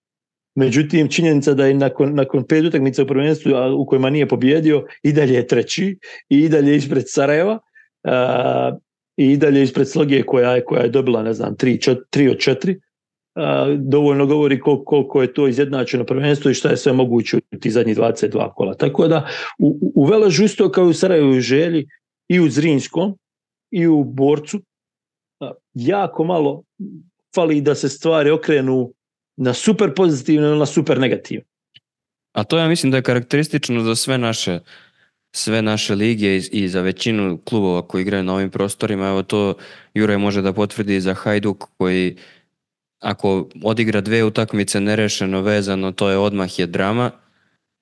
Međutim, činjenica da je nakon, nakon pet utakmica u prvenstvu u kojima nije pobjedio, i dalje je treći, i dalje ispred Sarajeva, uh, i dalje ispred Sloge koja je, koja je dobila, ne znam, tri, čet, tri od četiri. Uh, dovoljno govori koliko, koliko je to izjednačeno prvenstvo i šta je sve moguće u ti zadnjih dvadeset dva kola. Tako da u, u Veležu isto kao i u Sarajevu i Želji i u Zrinskom i u Borcu uh, jako malo fali da se stvari okrenu na super pozitivno ili na super negativno. A to ja mislim da je karakteristično za sve naše sve naše lige i, i za većinu klubova koji igraju na ovim prostorima. Evo to Juraj može da potvrdi za Hajduk koji ako odigra dve utakmice nerešeno vezano, to je odmah je drama.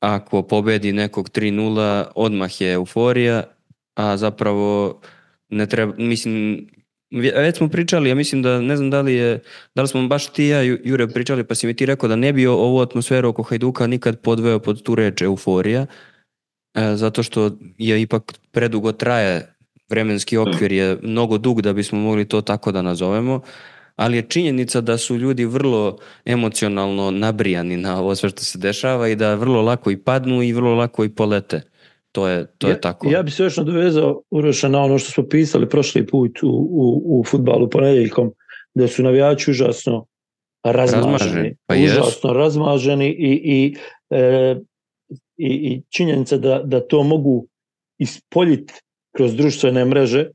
Ako pobedi nekog tri nula, odmah je euforija, a zapravo ne treba, mislim, već smo pričali, ja mislim da, ne znam da li je, da li smo baš ti ja Jure pričali, pa si mi ti rekao da ne bi ovu atmosferu oko Hajduka nikad podveo pod tu reč euforija, e, zato što je ipak predugo traje, vremenski okvir je mnogo dug da bismo mogli to tako da nazovemo. Ali je činjenica da su ljudi vrlo emocionalno nabrijani na ovo sve što se dešava i da vrlo lako i padnu i vrlo lako i polete. To je, to ja, je tako. Ja bih se još nadovezao, Uroša, na ono što smo pisali prošli put u, u, u fudbalu ponedjeljkom, da su navijači užasno razmaženi. razmaženi. Pa užasno jest. razmaženi i, i, e, i, i činjenica da, da to mogu ispoljiti kroz društvene mreže, e,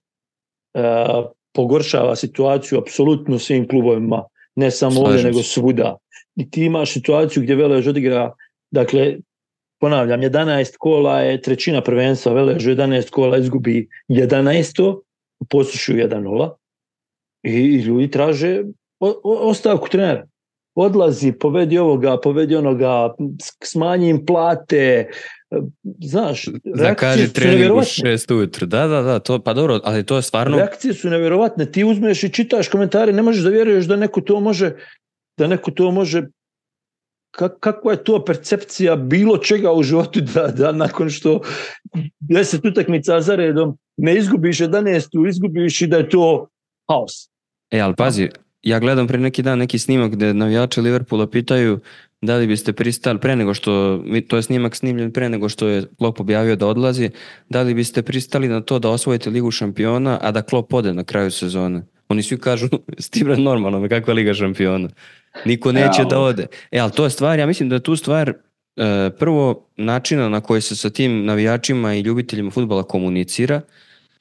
pogoršava situaciju apsolutno svim klubovima, ne samo Slažim ovdje, se. nego svuda. I ti imaš situaciju gdje Velež odigra, dakle, ponavljam, jedanaest kola je trećina prvenstva, Velež jedanaest kola izgubi jedanaest, u Posušu jedan nula i, i ljudi traže o, o, ostavku trenera. Odlazi, povedi ovoga, povedi onoga, smanji im plate, znaš, zakaži trening u šest ujutro, da, da, da, to, pa dobro, ali to je stvarno... Reakcije su nevjerovatne, ti uzmeš i čitaš komentare, ne možeš da vjeruješ da neko to može, da neko to može, Kak, kakva je to percepcija bilo čega u životu da, da nakon što deset utakmica za redom ne izgubiš jedanaestu, izgubiš i da je to haos. E, ali pazi, ja gledam pre neki dan neki snimak gde navijači Liverpoola pitaju da li biste pristali pre nego što, to je snimak snimljen pre nego što je Klopp objavio da odlazi, da li biste pristali na to da osvojite Ligu šampiona, a da Klopp ode na kraju sezone? Oni svi kažu, Stibra, normalno, kakva Liga šampiona? Niko neće ja, da ode. E, ali to je stvar, ja mislim da je tu stvar e, prvo načina na koji se sa tim navijačima i ljubiteljima fudbala komunicira,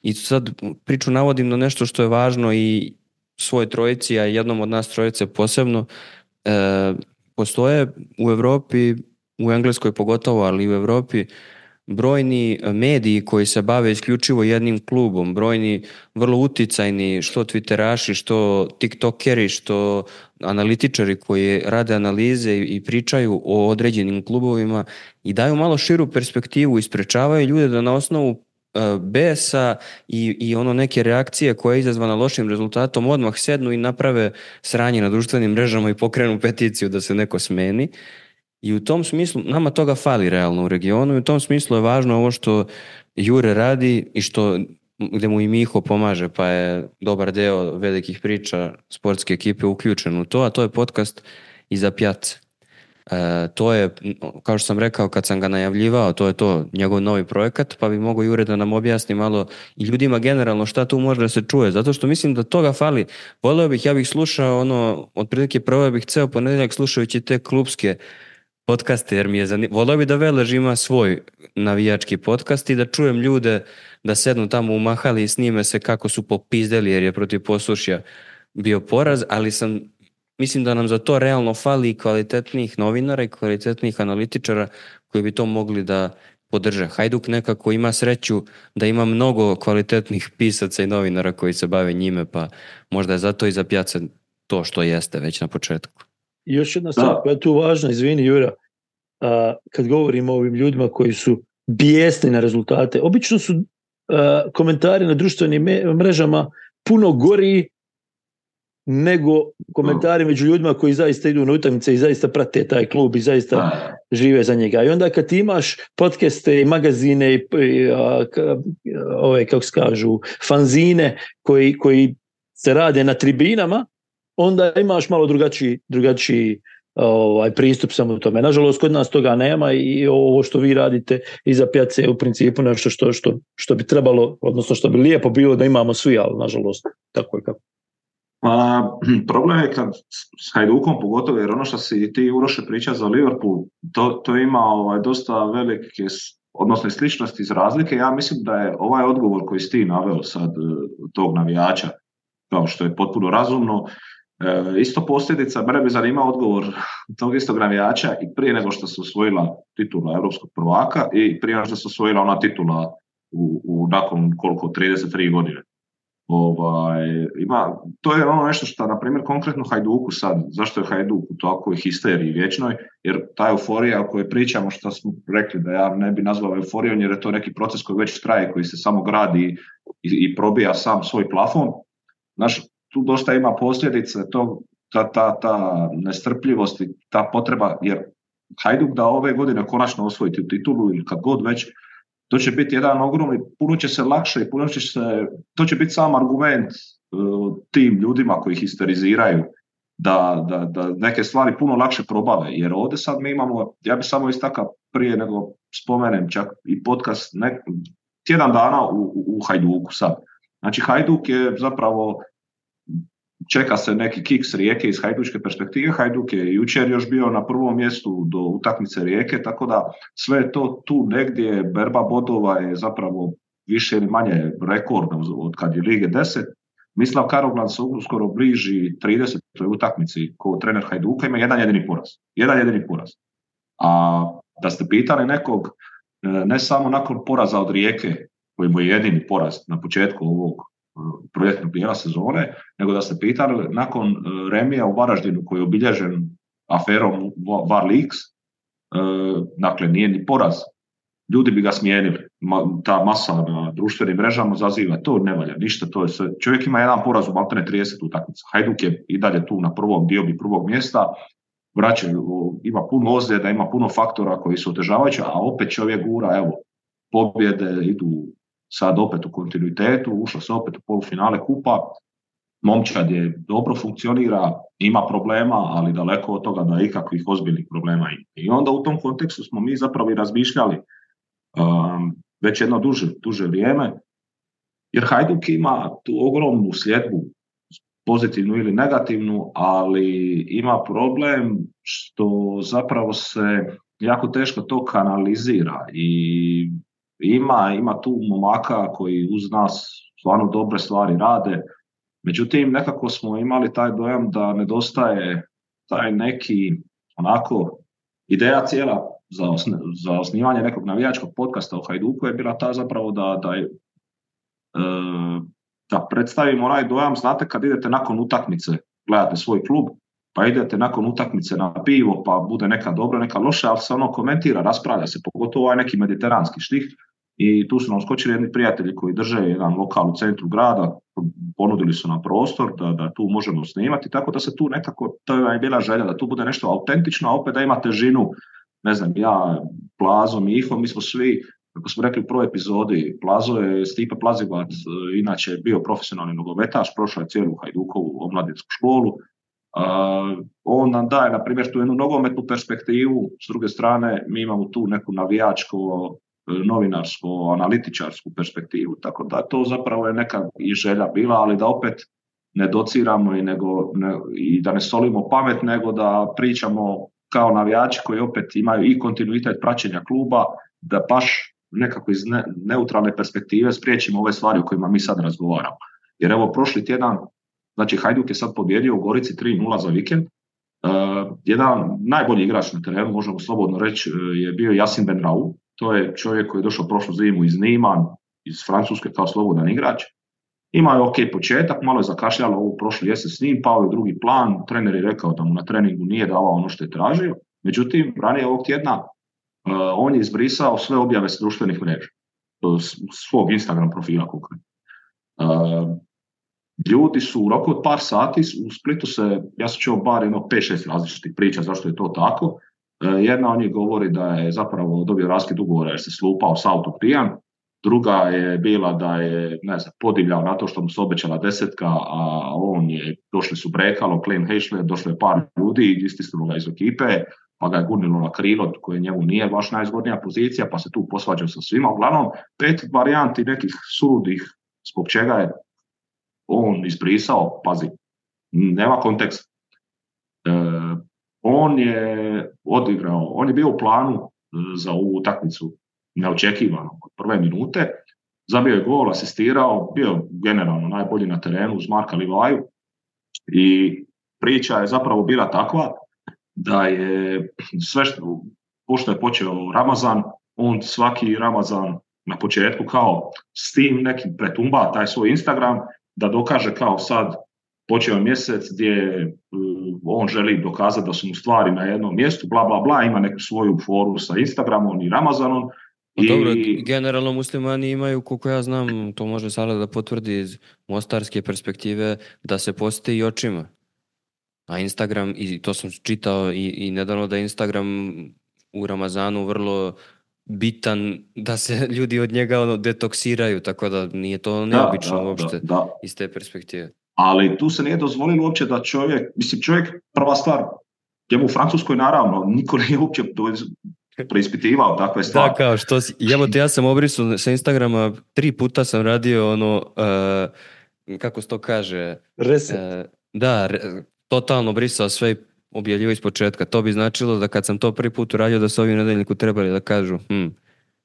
i sad priču navodim na nešto što je važno i svoj trojici, a jednom od nas trojice posebno. E, postoje u Evropi, u Engleskoj pogotovo, ali i u Evropi, brojni mediji koji se bave isključivo jednim klubom, brojni vrlo uticajni, što twitteraši, što tiktokeri, što analitičari koji rade analize i pričaju o određenim klubovima i daju malo širu perspektivu i sprečavaju ljude da na osnovu besa i, i ono neke reakcije koja je izazvana lošim rezultatom odmah sednu i naprave sranje na društvenim mrežama i pokrenu peticiju da se neko smeni. I u tom smislu, nama toga fali realno u regionu i u tom smislu je važno ovo što Jure radi i što, gde mu i Miho pomaže, pa je dobar deo velikih priča sportske ekipe uključen u to, a to je podcast Iza pjace. E, to je, kao što sam rekao kad sam ga najavljivao, to je to, njegov novi projekat, pa bi mogao Jure da nam objasni malo i ljudima generalno šta tu može da se čuje, zato što mislim da toga fali. Voleo bih, ja bih slušao ono, otprilike prvo bih ceo ponedeljak slušajući te klubske podcaste, jer mi je zanimljivo. Voleo bi da Velež ima svoj navijački podcast i da čujem ljude da sednu tamo u mahali i snime se kako su popizdeli jer je protiv Posušja bio poraz, ali sam, mislim da nam za to realno fali i kvalitetnih novinara i kvalitetnih analitičara koji bi to mogli da podrže. Hajduk nekako ima sreću da ima mnogo kvalitetnih pisaca i novinara koji se bave njime, pa možda je zato Iza pjace to što jeste već na početku. I još jedna stvar koja je tu važna, izvini Jura, a, kad govorimo o ovim ljudima koji su bijesni na rezultate, obično su a, komentari na društvenim mrežama puno gori nego komentari među ljudima koji zaista idu na utakmice i zaista prate taj klub i zaista žive za njega. I onda kad ti imaš podcaste i magazine i, i a, ka, ove, kako se kažu, fanzine koji, koji se rade na tribinama, onda imaš malo drugačiji, drugačiji ovaj, pristup samo tome. Nažalost, kod nas toga nema i ovo što vi radite Iza pjace je u principu nešto što, što, što bi trebalo, odnosno što bi lijepo bilo da imamo svi, ali nažalost tako je kako. A, problem je kad s Hajdukom pogotovo, jer ono što si ti Uroše priča za Liverpool, to, to ima ovaj, dosta velike, odnosno sličnosti iz razlike. Ja mislim da je ovaj odgovor koji si ti naveo sad tog navijača, kao što je potpuno razumno, E, isto posljedica, mene bi zanimao odgovor tog istog navijača i prije nego što se osvojila titula europskog prvaka i prije nego što se osvojila ona titula u, u nakon koliko, trideset tri godine. Ovaj, ima, to je ono nešto što, na primjer, konkretno Hajduku sad, zašto je Hajduk u takvoj histeriji vječnoj, jer ta euforija o kojoj pričamo, što smo rekli da ja ne bi nazvao euforijom, jer je to neki proces koji već traje, koji se samo gradi i, i probija sam svoj plafon. Znaš, tu dosta ima posljedice, to, ta, ta, ta nestrpljivost i ta potreba, jer Hajduk da ove godine konačno osvojiti u titulu ili kad god već, to će biti jedan ogromni, puno će se lakše i puno će se, to će biti sam argument uh, tim ljudima koji histeriziraju da, da, da neke stvari puno lakše probave, jer ovdje sad mi imamo, ja bi samo istakao prije nego spomenem čak i podcast nek, tjedan dana u, u, u Hajduku sad. Znači Hajduk je zapravo, čeka se neki kiks Rijeke iz hajdučke perspektive. Hajduk je jučer još bio na prvom mjestu do utakmice Rijeke, tako da sve je to tu negdje, berba bodova je zapravo više ili manje rekordna od kad je Lige deset. Mislav Karoglan se uskoro bliži tridesetoj utakmici kao trener Hajduka, ima jedan jedini poraz. Jedan jedini poraz. A da ste pitali nekog, ne samo nakon poraza od Rijeke, koji mu je jedini poraz na početku ovog projektnog dijela sezone, nego da ste pitali nakon remija u Varaždinu koji je obilježen aferom Var Leaks, dakle nije ni poraz ljudi bi ga smijenili. Ma, ta masa na društvenim mrežama zaziva, to ne valja, ništa, to je sve. Čovjek ima jedan poraz u maltene trideset utakmica. Hajduk je i dalje tu na prvom diobi prvog mjesta, vraćaju, ima puno ozljeda, ima puno faktora koji su otežavajući, a opet čovjek gura, evo, pobjede idu sad opet u kontinuitetu, ušlo se opet u polufinale kupa, momčad je dobro funkcionira, ima problema, ali daleko od toga da ikakvih ozbiljnih problema ima. I onda u tom kontekstu smo mi zapravo i razmišljali um, već jedno duže, duže vrijeme, jer Hajduk ima tu ogromnu sljedbu, pozitivnu ili negativnu, ali ima problem što zapravo se jako teško to kanalizira i ima, ima tu momaka koji uz nas stvarno dobre stvari rade, međutim nekako smo imali taj dojam da nedostaje taj neki onako ideja cijela za, osne, za osnivanje nekog navijačkog podcasta o Hajduku je bila ta zapravo da, da je da predstavimo onaj dojam, znate kad idete nakon utakmice, gledate svoj klub, pa idete nakon utakmice na pivo, pa bude neka dobra, neka loša, ali se ono komentira, raspravlja se, pogotovo ovaj neki mediteranski štih. I tu su nam skočili jedni prijatelji koji drže jedan lokal u centru grada, ponudili su nam prostor da, da tu možemo snimati, tako da se tu nekako, to je bila želja, da tu bude nešto autentično, a opet da ima težinu, ne znam, ja, Plazo, Miho, mi smo svi, kako smo rekli u prvoj epizodi, Plazo je Stipe Plazivac, inače bio profesionalni nogometaš, prošao je cijelu Hajdukovu omladinsku školu. Uh, on nam daje, na primjer, tu jednu nogometnu perspektivu, s druge strane mi imamo tu neku navijačko, novinarsko, analitičarsku perspektivu, tako da to zapravo je neka i želja bila, ali da opet ne dociramo i, nego, ne, i da ne solimo pamet, nego da pričamo kao navijači koji opet imaju i kontinuitet praćenja kluba, da baš nekako iz ne, neutralne perspektive spriječimo ove stvari o kojima mi sad razgovaramo. Jer evo prošli tjedan, znači Hajduk je sad pobjedio u Gorici tri nula za vikend. Uh, jedan najbolji igrač na terenu, možemo slobodno reći, je bio Yasin Benraou. To je čovjek koji je došao prošlu zimu iz Nîmes, iz Francuske kao slobodan igrač. Imao je ok početak, malo je zakašljalo ovu prošli jesen s njim, pao je drugi plan, trener je rekao da mu na treningu nije davao ono što je tražio. Međutim, ranije ovog tjedna uh, on je izbrisao sve objave s društvenih mreža, svog Instagram profila konkretno. Uh, Ljudi su u roku od par sati, u Splitu se, ja sam čuo bar jedno pet šest različitih priča zašto je to tako. Jedna od njih govori da je zapravo dobio raskid ugovora jer se slupao s autom pijan. Druga je bila da je, ne znam, podivljao na to što mu se obećala desetka, a on je, došli su brekalo, Klein Heišler, došlo je par ljudi, istisnulo ga iz ekipe, pa ga je gurnilo na krilo koje njemu nije baš najzgodnija pozicija, pa se tu posvađao sa svima. Uglavnom, pet varijanti nekih suludih zbog čega je on izbrisao, pazi, nema konteksta. E, on je odigrao, on je bio u planu za ovu utakmicu neočekivano od prve minute, zabio je gol, asistirao, bio generalno najbolji na terenu uz Marka Livaju i priča je zapravo bila takva da je sve što, pošto je počeo Ramazan, on svaki Ramazan na početku kao s tim nekim pretumba taj svoj Instagram da dokaže kao sad počeo mjesec gdje uh, on želi dokazati da su mu stvari na jednom mjestu, bla bla bla, ima neku svoju foru sa Instagramom i Ramazanom. I... Dobro, generalno muslimani imaju, koliko ja znam, to može Sala da potvrdi iz mostarske perspektive, da se posti i očima. A Instagram, i to sam čitao i, i nedavno da je Instagram u Ramazanu vrlo bitan da se ljudi od njega ono, detoksiraju, tako da nije to neobično da, da, uopšte da, da. Iz te perspektive. Ali tu se nije dozvolilo uopće da čovjek, mislim čovjek, prva stvar, njemu u Francuskoj naravno, niko nije uopće preispitivao takve stvari. Da, kao što si, jebote, ja sam obrisao sa Instagrama, tri puta sam radio ono, uh, kako se to kaže? Reset. Uh, da, re, totalno brisao sve i objavljivo iz početka. To bi značilo da kad sam to prvi put uradio da su ovi nedeljniku trebali da kažu hm,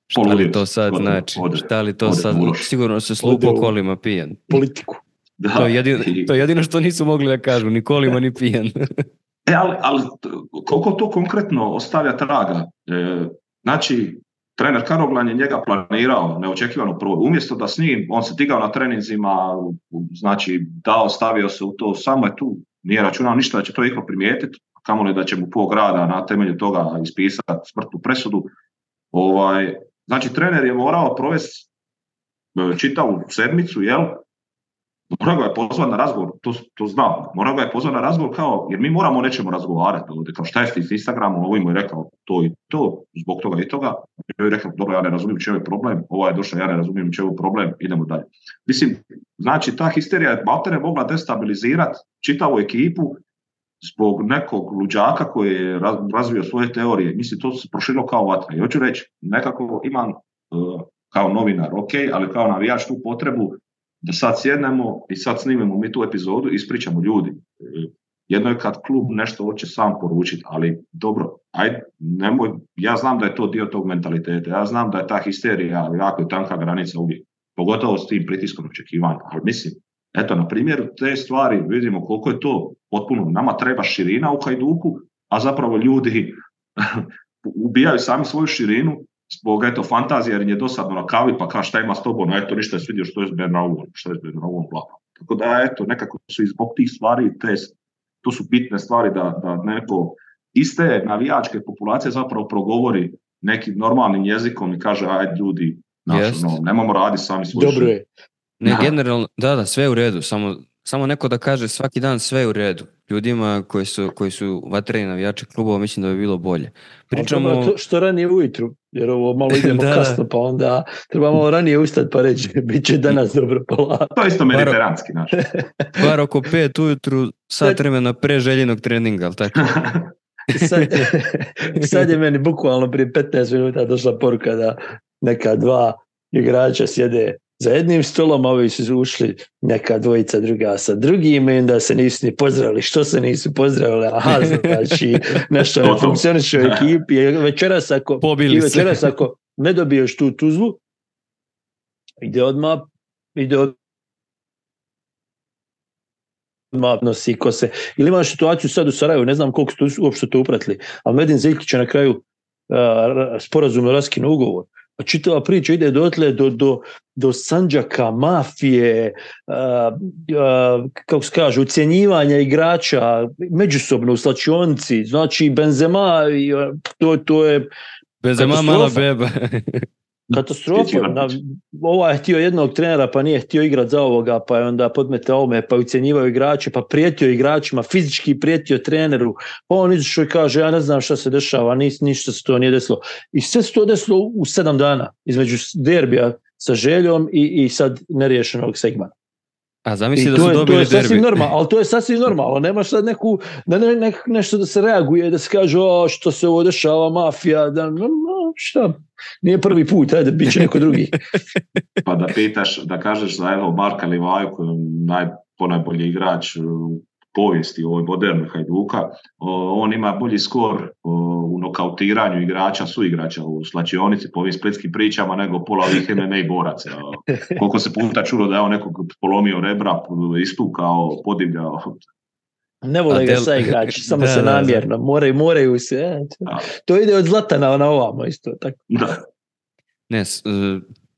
šta li to sad odre, znači? Odre, šta li to odre, sad? Odre, Sigurno se slupo kolima pijan. Politiku. Da. To, je jedino, to je jedino što nisu mogli da kažu, ni kolima ni pijan. E, ali, ali koliko to konkretno ostavlja traga? E, znači, trener Karoglan je njega planirao neočekivano prvo. Umjesto da s njim, on se digao na treninzima, znači dao, stavio se u to, samo je tu, nije računao ništa da će to iko primijetiti, kamoli da će mu pol grada na temelju toga ispisati smrtnu presudu. Ovaj, Znači, trener je morao provesti čitavu sedmicu, jel? Mora ga je pozvati na razgovor, to, to znam, mora ga je pozvati na razgovor kao, jer mi moramo o nečemu razgovarati ovdje, kao šta je s Instagramom, ovo mu je rekao to i to, zbog toga i toga, ja je rekao, dobro, ja ne razumijem čemu je problem, ovo je došao, ja ne razumijem čemu je problem, idemo dalje. Mislim, znači, ta histerija je maltene mogla destabilizirati čitavu ekipu zbog nekog luđaka koji je razvio svoje teorije. Mislim, to se proširilo kao vatra. I hoću reći, nekako imam uh, kao novinar, ok, ali kao navijač tu potrebu da sad sjednemo i sad snimemo mi tu epizodu i ispričamo ljudi. Jedno je kad klub nešto hoće sam poručiti, ali dobro, ajde, nemoj, ja znam da je to dio tog mentaliteta, ja znam da je ta histerija jako tanka granica uvijek, pogotovo s tim pritiskom očekivanja, ali mislim, eto, na primjeru te stvari vidimo koliko je to potpuno, nama treba širina u Hajduku, a zapravo ljudi ubijaju sami svoju širinu zbog eto fantazije, jer je dosadno na kavi, pa kao šta ima s tobom, eto ništa je svidio što je s Bernauom, što je s Bernauom, bla. Tako da eto, nekako su i zbog tih stvari, te, to su bitne stvari da, da neko iste navijačke populacije zapravo progovori nekim normalnim jezikom i kaže, ajde ljudi, naš, no, nemamo raditi sami svoj Dobro je. Ne, generalno, da, da, sve je u redu, samo, samo neko da kaže svaki dan sve je u redu. Ljudima koji su, koji su vatreni navijači klubova, mislim da bi bilo bolje. Pričamo... To što ranije ujutru, jer ovo malo idemo da, kasno, pa onda treba malo ranije ustati pa reći, bit će danas dobro polako. To je isto mediteranski naš. Bar oko pet ujutru, sat vremena pre željenog treninga, ali tako? sad, sad je meni bukvalno prije petnaest minuta došla poruka da neka dva igrača sjede za jednim stolom, a ovi su ušli neka dvojica druga sa drugim i onda se nisu ni pozdravili. Što se nisu pozdravili? Aha, znači nešto ne funkcioniše u ekipi. Večeras ako, i večeras ako ne dobiješ tu tuzlu, ide odmah, ide odmah nosi kose. Ili imaš situaciju sad u Sarajevu, ne znam koliko ste uopšte to upratili, ali Medin Zeljkić je na kraju uh, sporazumno raskinuo ugovor. A čitava priča ide dotle do, do, do Sandžaka, mafije, uh, uh, kako se kaže, ucjenjivanja igrača, međusobno u slačionici, znači Benzema, to, to je Benzema mala beba. Katastrofa. Na, ovaj je htio jednog trenera pa nije htio igrati za ovoga, pa je onda podmete ovome, pa ucjenjivao igrače, pa prijetio igračima, fizički prijetio treneru, pa on izašao i kaže ja ne znam šta se dešava, nis, ništa se to nije desilo. I sve se to desilo u sedam dana između derbija sa Željom i, i sad neriješenog segmenta. A zamisli da su dobili derbi. To je sasvim normalno, ali to je sasvim normalno. Nemaš sad neku, da ne, ne, nešto da se reaguje, da se kaže o, što se ovo dešava, mafija, da no, šta, nije prvi put, ajde, bit će neko drugi. Pa da pitaš, da kažeš za evo Marka Livaju, koji je naj, ponajbolji igrač u povijesti ovoj moderne Hajduka, o, on ima bolji skor o, u nokautiranju igrača, suigrača u slačionici po ovim splitskim pričama nego pola ovih M M A boraca. Koliko se puta čulo da je on nekog polomio rebra, istukao, podivljao. Ne vole ga sa igrači, samo da, se da, namjerno, da. moraju, moraju se. Ja. To ide od Zlatana na ovamo isto. Tako. Da. Ne,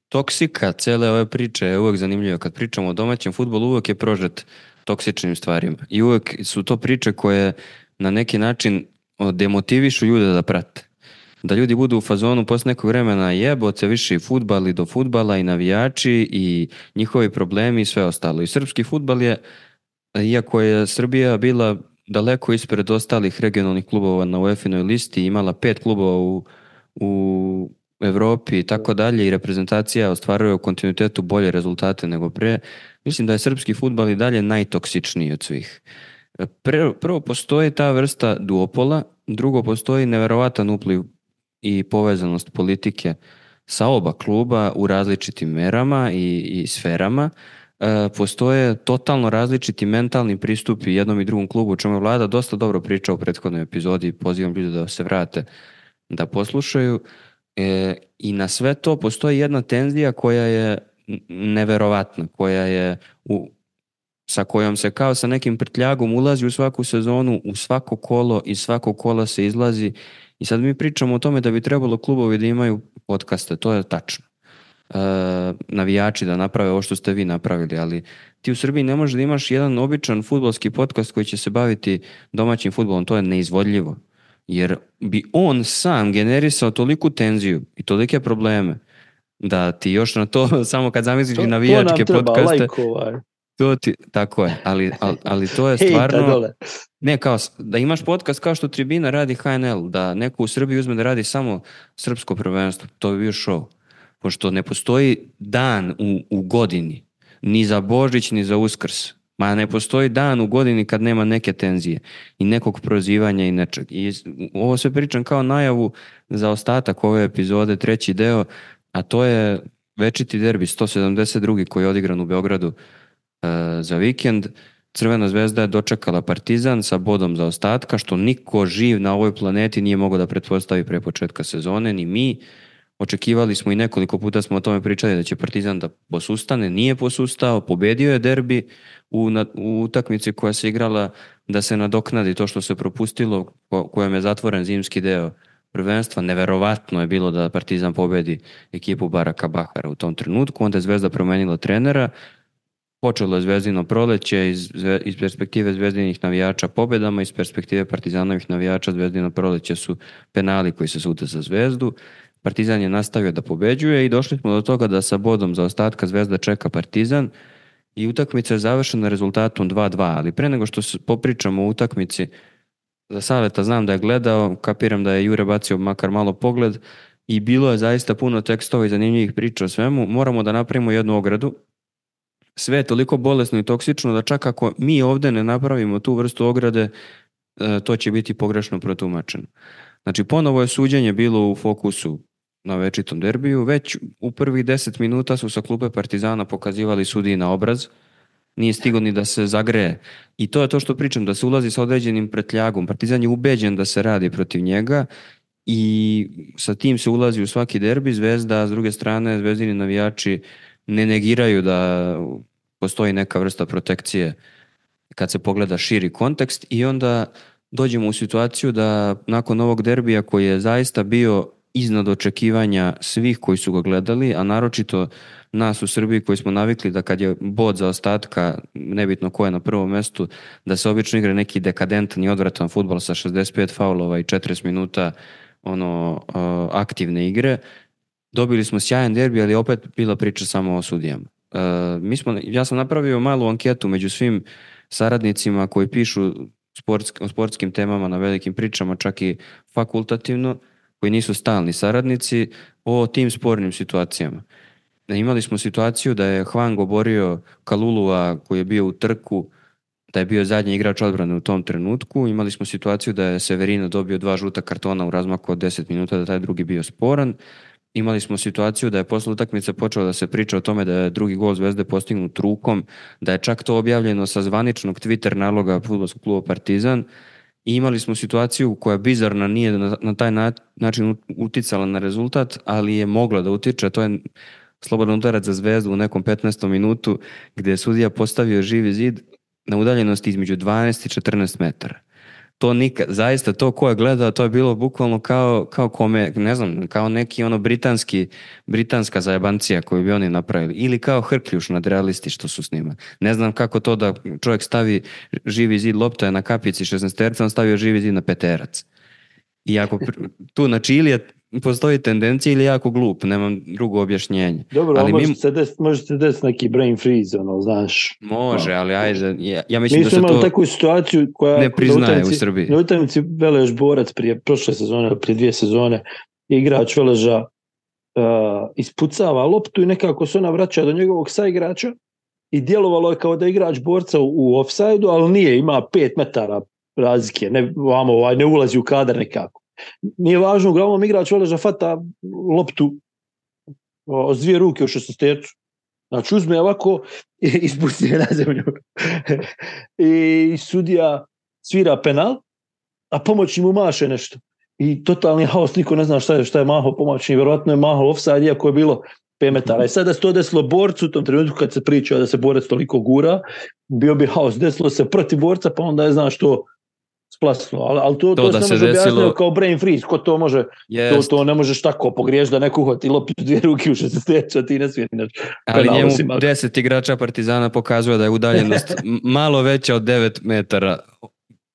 toksika cele ove priče je uvijek zanimljiva. Kad pričamo o domaćem fudbalu, uvijek je prožet toksičnim stvarima. I uvijek su to priče koje na neki način demotivišu ljude da prate. Da ljudi budu u fazonu posle nekog vremena jebote više i fudbal i do fudbala i navijači i njihovi problemi i sve ostalo. I srpski fudbal je, iako je Srbija bila daleko ispred ostalih regionalnih klubova na UEFA-inoj listi, imala pet klubova u, u Evropi i tako dalje i reprezentacija ostvaruje u kontinuitetu bolje rezultate nego pre, mislim da je srpski fudbal i dalje najtoksičniji od svih. Prvo postoji ta vrsta duopola, drugo postoji neverovatan upliv i povezanost politike sa oba kluba u različitim merama i, i sferama. E, postoje totalno različiti mentalni pristupi jednom i drugom klubu, o čemu je Vlada dosta dobro pričao u prethodnoj epizodi, pozivam ljudi da se vrate da poslušaju. E, I na sve to postoji jedna tenzija koja je neverovatna, koja je u, sa kojom se kao sa nekim prtljagom ulazi u svaku sezonu, u svako kolo i svako kola se izlazi. I sad mi pričamo o tome da bi trebalo klubovi da imaju podcaste, to je tačno. E, navijači da naprave ovo što ste vi napravili, ali ti u Srbiji ne možeš da imaš jedan običan fudbalski podcast koji će se baviti domaćim fudbalom, to je neizvodljivo. jer bi on sam generisao toliku tenziju i tolike probleme da ti još na to, samo kad zamisliš i navijačke podcaste, like to ti, tako je, ali, ali, ali to je stvarno, ne kao, da imaš podcast kao što Tribina radi H N L, da neko u Srbiji uzme da radi samo srpsko prvenstvo, to bi bio show, pošto ne postoji dan u, u godini, ni za Božić, ni za Uskrs, ma ne postoji dan u godini kad nema neke tenzije i nekog prozivanja i nečeg. I ovo sve pričam kao najavu za ostatak ove epizode, treći deo, a to je večiti derbi sto sedamdeset drugi koji je odigran u Beogradu uh, za vikend. Crvena zvezda je dočekala Partizan sa bodom za ostatka, što niko živ na ovoj planeti nije mogao da pretpostavi pre početka sezone, ni mi. Očekivali smo i nekoliko puta smo o tome pričali da će Partizan da posustane, nije posustao, pobedio je derbi u, na, u utakmici koja se igrala da se nadoknadi to što se propustilo, ko, kojem je zatvoren zimski deo prvenstva. Neverovatno je bilo da Partizan pobedi ekipu Baraka Bahara u tom trenutku, onda je Zvezda promenila trenera, počelo je Zvezdino proleće iz, iz perspektive Zvezdinih navijača pobedama, iz perspektive Partizanovih navijača Zvezdino proleće su penali koji se sute za Zvezdu. Partizan je nastavio da pobeđuje i došli smo do toga da sa bodom za ostatka Zvezda čeka Partizan i utakmica je završena rezultatom dva dva, ali pre nego što popričamo o utakmici, za Saleta znam da je gledao, kapiram da je Jure bacio makar malo pogled i bilo je zaista puno tekstova i zanimljivih priča o svemu. Moramo da napravimo jednu ogradu. Sve je toliko bolesno i toksično da čak ako mi ovde ne napravimo tu vrstu ograde, to će biti pogrešno protumačeno. Znači, ponovo je suđenje bilo u fokusu na večitom derbiju. Već u prvih deset minuta su sa klupe Partizana pokazivali sudiji na obraz. Nije stigo ni da se zagreje. I to je to što pričam, da se ulazi sa određenim pretljagom. Partizan je ubeđen da se radi protiv njega i sa tim se ulazi u svaki derbi. Zvezda, s druge strane, zvezdini navijači ne negiraju da postoji neka vrsta protekcije kad se pogleda širi kontekst i onda dođemo u situaciju da nakon ovog derbija koji je zaista bio iznad očekivanja svih koji su ga gledali, a naročito nas u Srbiji koji smo navikli da kad je bod za ostatka, nebitno ko je na prvom mestu, da se obično igra neki dekadentan i odvratan fudbal sa šezdeset pet faulova i četrdeset minuta ono aktivne igre. Dobili smo sjajan derbi, ali opet bila priča samo o sudijama. Mi smo, ja sam napravio malu anketu među svim saradnicima koji pišu sportsk, o sportskim temama na velikim pričama, čak i fakultativno, koji nisu stalni saradnici, o tim spornim situacijama. Imali smo situaciju da je Hwang oborio Kalulua koji je bio u trku, da je bio zadnji igrač odbrane u tom trenutku. Imali smo situaciju da je Severino dobio dva žuta kartona u razmaku od deset minuta, da taj drugi bio sporan. Imali smo situaciju da je posle utakmice počelo da se priča o tome da je drugi gol Zvezde postignut rukom, da je čak to objavljeno sa zvaničnog Twitter naloga fudbalskog kluba Partizan. I imali smo situaciju koja bizarna nije na, na taj na, način uticala na rezultat, ali je mogla da utiče. To je slobodan udarac za Zvezdu u nekom petnaestom minutu gdje je sudija postavio živi zid na udaljenosti između dvanaest i četrnaest metara. To nikad, zaista to ko je gledao, to je bilo bukvalno kao, kao kome, ne znam, kao neki ono britanski, britanska zajebancija koju bi oni napravili. Ili kao Hrkljuš nadrealisti što su snimali. Ne znam kako to da čovjek stavi živi zid, lopta je na kapici šesnaesterca, on stavio živi zid na peterac. I ako tu znači ili je, postoji tendencija ili jako glup, nemam drugo objašnjenje. Dobro, ali može, mi... se des, može se desiti neki brain freeze, ono, znaš. Može, ali ajde, ja, ja mislim mi da se to... Mi smo imali takvu situaciju koja... Ne priznaje u Srbiji. Na utakmici Velež Borac prije prošle sezone, prije dvije sezone, igrač Veleža uh, ispucava loptu i nekako se ona vraća do njegovog saigrača i djelovalo je kao da igrač Borca u, u offside-u, ali nije, ima pet metara razlike, ne, vamo, ovaj, ne ulazi u kadar nekako. Nije važno, uglavnom igrač Veleža fata loptu o, s dvije ruke u šesnaestercu. Znači uzme ovako i ispusti je na zemlju. I sudija svira penal, a pomoćni mu maše nešto. I totalni haos, niko ne zna šta je, šta je mahao pomoćni, vjerovatno je mahao offside, iako je bilo pet metara. I sada se to desilo Borcu u tom trenutku kad se priča da se Borac toliko gura, bio bi haos, desilo se protiv Borca, pa onda je znaš što splasno, ali, ali to, to, to se ne može desilo... objasniti kao brain freeze, ko to može, to, to ne možeš tako pogriješ da neko uhvati loptu dvije ruke u šesnaestercu, a ti ne smiješ. Ali njemu deset igrača Partizana pokazuje da je udaljenost malo veća od devet metara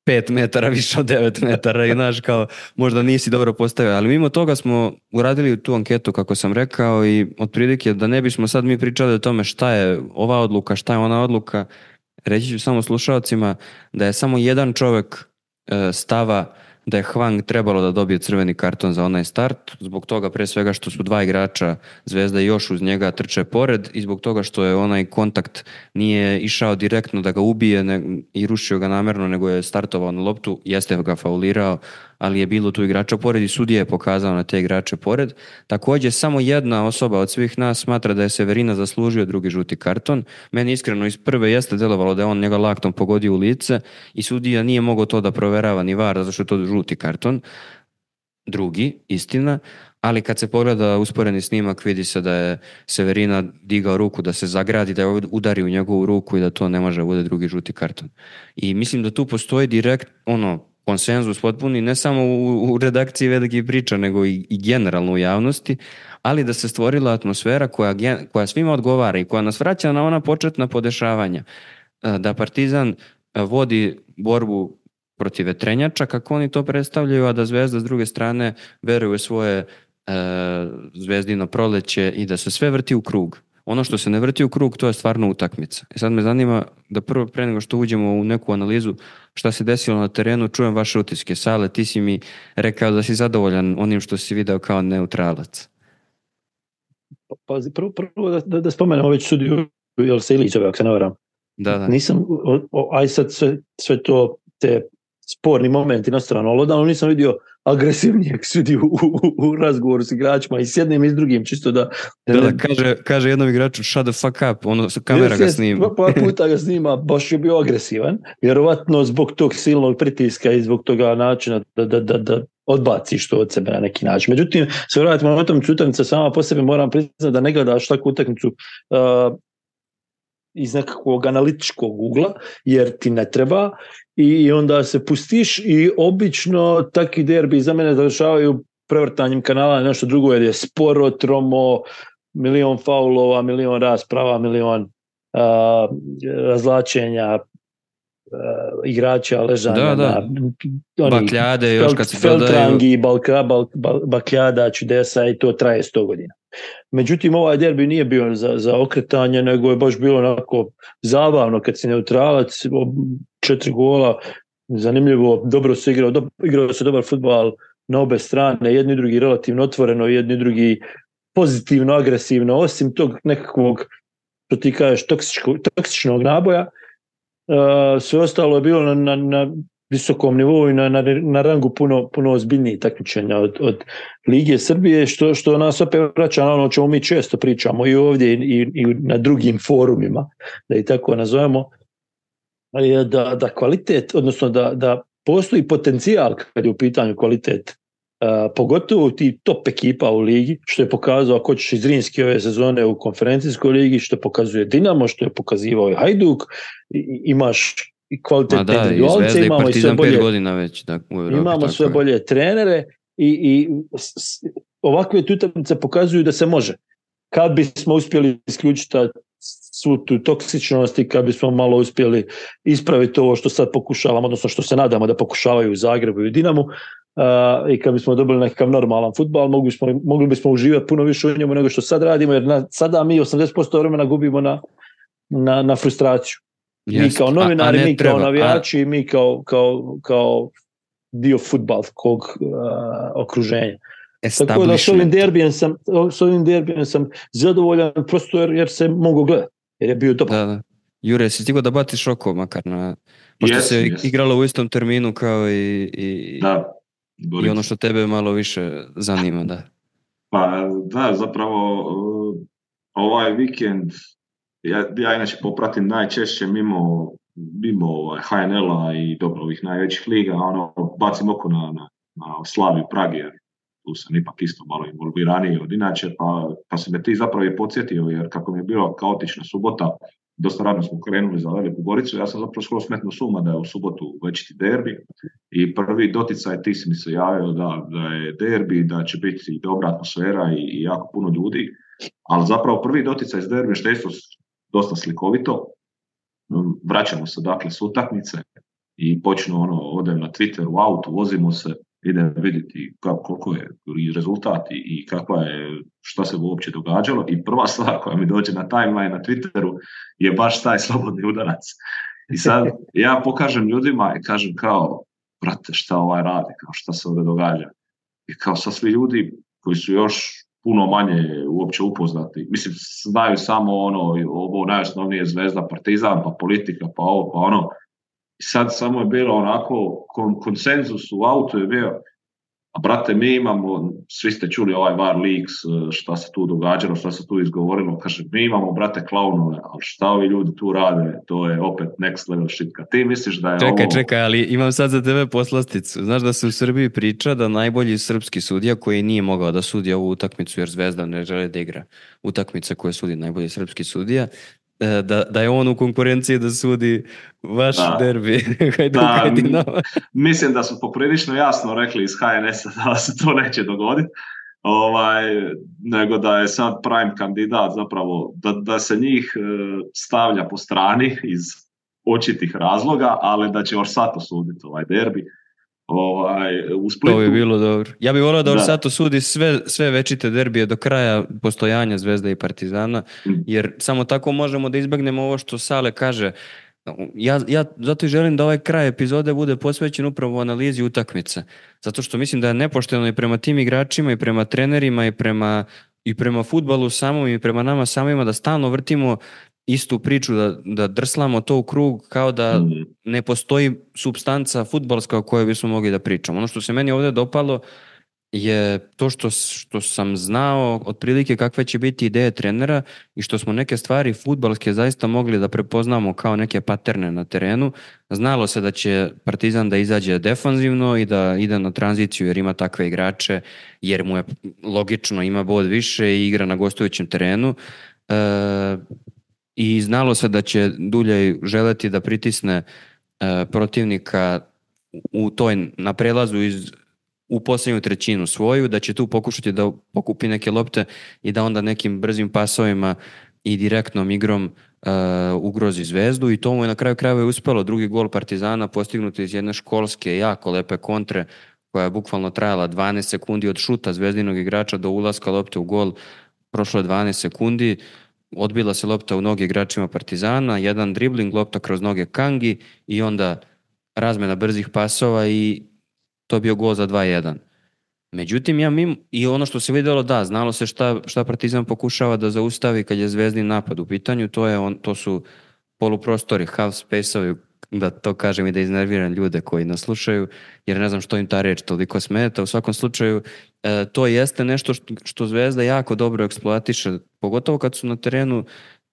pet metara više od devet metara i znaš kao možda nisi dobro postavio, ali mimo toga smo uradili tu anketu kako sam rekao i otprilike da ne bismo sad mi pričali o tome šta je ova odluka, šta je ona odluka, reći ću samo slušalcima da je samo jedan čovjek e, stava da je Hwang trebalo da dobije crveni karton za onaj start, zbog toga pre svega što su dva igrača Zvezda i još uz njega trče pored i zbog toga što je onaj kontakt nije išao direktno da ga ubije ne, i rušio ga namjerno, nego je startovao na loptu, jeste ga faulirao, ali je bilo tu igrača pored i sudija je pokazao na te igrače pored. Također samo jedna osoba od svih nas smatra da je Severina zaslužio drugi žuti karton. Meni iskreno iz prve jeste delovalo da je on njega laktom pogodio u lice i sudija nije mogao to da proverava ni var, zato što je to žuti karton. Drugi, istina, ali kad se pogleda usporeni snimak vidi se da je Severina digao ruku da se zagradi, da je udari u njegovu ruku i da to ne može bude drugi žuti karton. I mislim da tu postoji direkt ono konsenzus potpuni, ne samo u, u redakciji velikih priča, nego i, i generalno u javnosti, ali da se stvorila atmosfera koja, koja svima odgovara i koja nas vraća na ona početna podešavanja. Da Partizan vodi borbu protiv vetrenjača, kako oni to predstavljaju, a da Zvezda s druge strane veruje svoje e, zvezdino proleće i da se sve vrti u krug. Ono što se ne vrti u krug, to je stvarno utakmica. I sad me zanima da prvo pre nego što uđemo u neku analizu šta se desilo na terenu, čujem vaše utiske. Sale, ti si mi rekao da si zadovoljan onim što si video kao neutralac. Pazi, prvo, prvo da, da, da spomenem već sudiju Ilićeva, ako se ne varam. Da, da. Nisam, o, o, aj sad sve, sve to, te sporni momenti na stranu, ali odavno nisam vidio agresivnijeg sudiju u, u, u razgovoru s igračima i s jednim i s drugim, čisto da... Da, da, da kaže, kaže jednom igraču shut the fuck up, ono, kamera ga snima. Par puta ga snima, baš je bio agresivan, vjerovatno zbog tog silnog pritiska i zbog toga načina da, da, da, da odbaciš to od sebe na neki način. Međutim, se vratimo na utakmicu, utakmica sama po sebi moram priznati da ne gledaš takvu utakmicu uh, iz nekakvog analitičkog ugla, jer ti ne treba i onda se pustiš i obično takvi derbi za mene završavaju prevrtanjem kanala na nešto drugo, jer je sporo, tromo, milion faulova, milion rasprava, milion uh, razlačenja uh, igrača, ležanja da, da. na bakljade, još kad se Feltrangi, balka, bal, bal, bakljada, čudesa i to traje sto godina. Međutim, ovaj derbi nije bio za, za okretanje, nego je baš bilo onako zabavno kad si neutralac, četiri gola, zanimljivo, dobro se igrao, do, igrao se dobar fudbal na obe strane, jedni i drugi relativno otvoreno, jedni i drugi pozitivno, agresivno, osim tog nekakvog, što ti kažeš, toksičnog naboja, uh, sve ostalo je bilo na, na, na visokom nivou i na, na, na rangu puno, puno ozbiljnijih takmičenja od, od Lige Srbije, što, što nas opet vraća na ono o čemu mi često pričamo i ovdje i, i, i na drugim forumima, da i tako nazovemo, je da, da kvalitet, odnosno da, da postoji potencijal kad je u pitanju kvalitet, uh, pogotovo ti top ekipa u ligi, što je pokazao ako ćeš iz Zrinski ove sezone u konferencijskoj ligi, što pokazuje Dinamo, što je pokazivao i Hajduk, i, imaš i kvalitetne individualce, imamo i sve bolje, godina već, da, u Evropi, imamo sve bolje trenere i, i s, ovakve utakmice pokazuju da se može. Kad bismo uspjeli isključiti svu tu toksičnost i kad bismo malo uspjeli ispraviti ovo što sad pokušavamo, odnosno što se nadamo da pokušavaju u Zagrebu i u Dinamu, uh, i kad bismo dobili nekakav normalan fudbal, mogli bismo, mogli bismo uživati puno više u njemu nego što sad radimo, jer na, sada mi osamdeset posto vremena gubimo na, na, na frustraciju. Yes. Mi kao novinari, mi kao navijači, a... mi kao, kao, kao dio fudbalskog uh, okruženja. Tako da s ovim derbijem sam, s ovim derbijem sam zadovoljan prosto jer, jer se mogu gledati, jer je bio dobar. Da, da. Jure, si stigao da batiš oko makar na... Pošto yes, se yes. igralo u istom terminu kao i, i, da, i ono što tebe malo više zanima, da. Pa da, zapravo uh, ovaj vikend Ja, ja inače popratim najčešće mimo, mimo ovaj, H N L-a i dobro ovih najvećih liga, ono, bacim oko na, na, na Slaviju Pragi, jer tu sam ipak isto malo involviraniji od inače, pa, pa se me ti zapravo i podsjetio, jer kako mi je bila kaotična subota, dosta radno smo krenuli za Veliku Goricu, ja sam zapravo skoro smetno suma da je u subotu večiti derbi i prvi doticaj ti si mi se javio da, da je derbi, da će biti dobra atmosfera i, i jako puno ljudi, ali zapravo prvi doticaj s derbi što je isto dosta slikovito. Vraćamo se dakle s utakmice. i počnu ono, odem na Twitter u autu, vozimo se, idem vidjeti kako, koliko je i rezultat i kakva je, šta se uopće događalo i prva stvar koja mi dođe na timeline na Twitteru je baš taj slobodni udarac. I sad ja pokažem ljudima i kažem kao, brate, šta ovaj radi, kao šta se ovdje događa. I kao sad svi ljudi koji su još puno manje uopće upoznati, mislim, znaju samo ono, ovo najosnovnije Zvezda, Partizan, pa politika, pa ovo, pa ono. I sad samo je bilo onako, kon, konsenzus u autu je bio, a brate, mi imamo, svi ste čuli ovaj Var Leaks, šta se tu događalo, šta se tu izgovorilo, kaže, mi imamo, brate, klaunove, ali šta ovi ljudi tu rade, to je opet next level shit. Kad ti misliš da je čekaj, ovo... Čekaj, čekaj, ali imam sad za tebe poslasticu. Znaš da se u Srbiji priča da najbolji srpski sudija koji nije mogao da sudi ovu utakmicu jer Zvezda ne žele da igra utakmica koje sudi najbolji srpski sudija, Da, da je on u konkurenciji da sudi vaš da. derbi. Da, mislim da su poprilično jasno rekli iz H N S-a da se to neće dogoditi, ovaj, nego da je sad prime kandidat zapravo, da, da se njih stavlja po strani iz očitih razloga, ali da će Orsato suditi ovaj derbi. Ovaj, u Splitu. To bi bilo dobro. Ja bih volio da Orsato sudi sve, sve večite derbije do kraja postojanja Zvezde i Partizana, jer samo tako možemo da izbegnemo ovo što Sale kaže. Ja, ja zato i želim da ovaj kraj epizode bude posvećen upravo analizi utakmice. Zato što mislim da je nepošteno i prema tim igračima i prema trenerima i prema, i prema fudbalu samom i prema nama samima da stalno vrtimo istu priču, da, da drslamo to u krug kao da mm. ne postoji supstanca fudbalska o kojoj bismo mogli da pričamo. Ono što se meni ovdje dopalo je to što, što sam znao otprilike kakve će biti ideje trenera i što smo neke stvari fudbalske zaista mogli da prepoznamo kao neke paterne na terenu. Znalo se da će Partizan da izađe defanzivno i da ide na tranziciju jer ima takve igrače, jer mu je logično, ima bod više i igra na gostujućem terenu. E, I znalo se da će Duljaj želeti da pritisne e, protivnika u toj, na prelazu iz, u posljednju trećinu svoju, da će tu pokušati da pokupi neke lopte i da onda nekim brzim pasovima i direktnom igrom e, ugrozi Zvezdu i to mu je na kraju krajeva uspelo. Drugi gol Partizana postignuti iz jedne školske, jako lepe kontre koja je bukvalno trajala dvanaest sekundi od šuta zvezdinog igrača do ulaska lopte u gol, prošlo je dvanaest sekundi. Odbila se lopta u noge igračima Partizana, jedan dribling, lopta kroz noge Kangi i onda razmena brzih pasova i to bio gol za dva jedan. Međutim, ja mim, i ono što se vidjelo, da, znalo se šta, šta Partizan pokušava da zaustavi kad je zvezdin napad u pitanju, to, je on, to su poluprostori, half space-ovi, da to kažem i da iznerviram ljude koji nas slušaju, jer ne znam što im ta reč toliko smeta. U svakom slučaju, e, to jeste nešto što, što Zvezda jako dobro eksploatiše, pogotovo kad su na terenu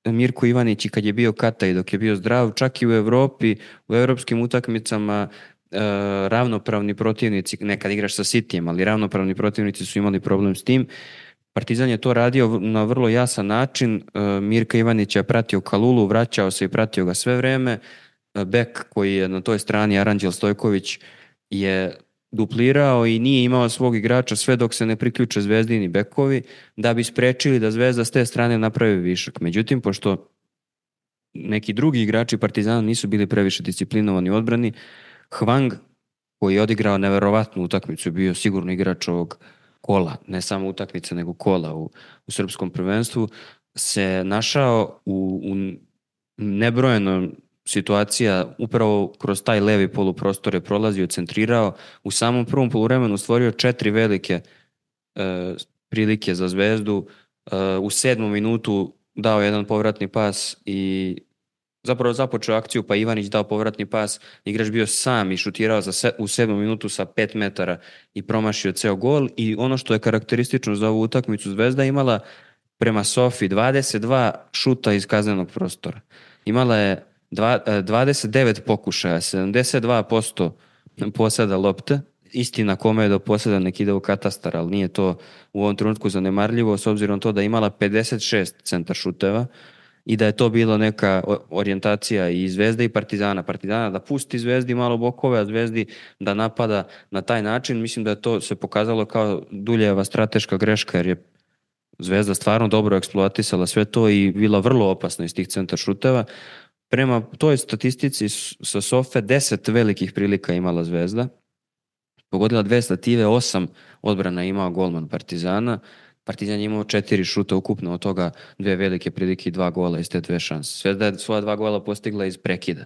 Mirko Ivanić i kad je bio Kata i dok je bio zdrav, čak i u Evropi, u evropskim utakmicama, e, ravnopravni protivnici, nekad igraš sa Cityjem, ali ravnopravni protivnici su imali problem s tim. Partizan je to radio na vrlo jasan način, e, Mirka Ivanić je pratio Kalulu, vraćao se i pratio ga sve vreme. Bek koji je na toj strani, Aranđel Stojković, je duplirao i nije imao svog igrača sve dok se ne priključe zvezdini bekovi da bi sprečili da Zvezda s te strane napravi višak. Međutim, pošto neki drugi igrači Partizana nisu bili previše disciplinovani u odbrani, Hwang, koji je odigrao neverovatnu utakmicu, bio sigurno igrač ovog kola, ne samo utakmice nego kola u, u srpskom prvenstvu, se našao u, u nebrojeno situacija upravo kroz taj levi poluprostor je prolazio, centrirao, u samom prvom poluvremenu stvorio četiri velike e, prilike za Zvezdu, e, u sedmom minutu dao jedan povratni pas i zapravo započeo akciju, pa Ivanić dao povratni pas, igrač bio sam i šutirao za se, u sedmom minutu sa pet metara i promašio ceo gol. I ono što je karakteristično za ovu utakmicu, Zvezda imala prema Sofi dvadeset dva šuta iz kaznenog prostora. Imala je dvadeset devet pokušaja, sedamdeset dva posto poseda lopte, istina kome je do poseda nek ide u katastar, ali nije to u ovom trenutku zanemarljivo, s obzirom to da je imala pedeset šest centar šuteva i da je to bilo neka orijentacija i Zvezde i Partizana. Partizana da pusti Zvezdi malo bokove, a Zvezdi da napada na taj način. Mislim da je to se pokazalo kao Duljeva strateška greška, jer je Zvezda stvarno dobro eksploatisala sve to i bila vrlo opasna iz tih centar šuteva. prema toj statistici sa Sofe deset velikih prilika imala Zvezda, pogodila dve stative, osam odbrana imao golman Partizana, Partizan je imao četiri šuta ukupno, od toga dve velike prilike i dva gola iz te dve šanse. Zvezda je svoja dva gola postigla iz prekida.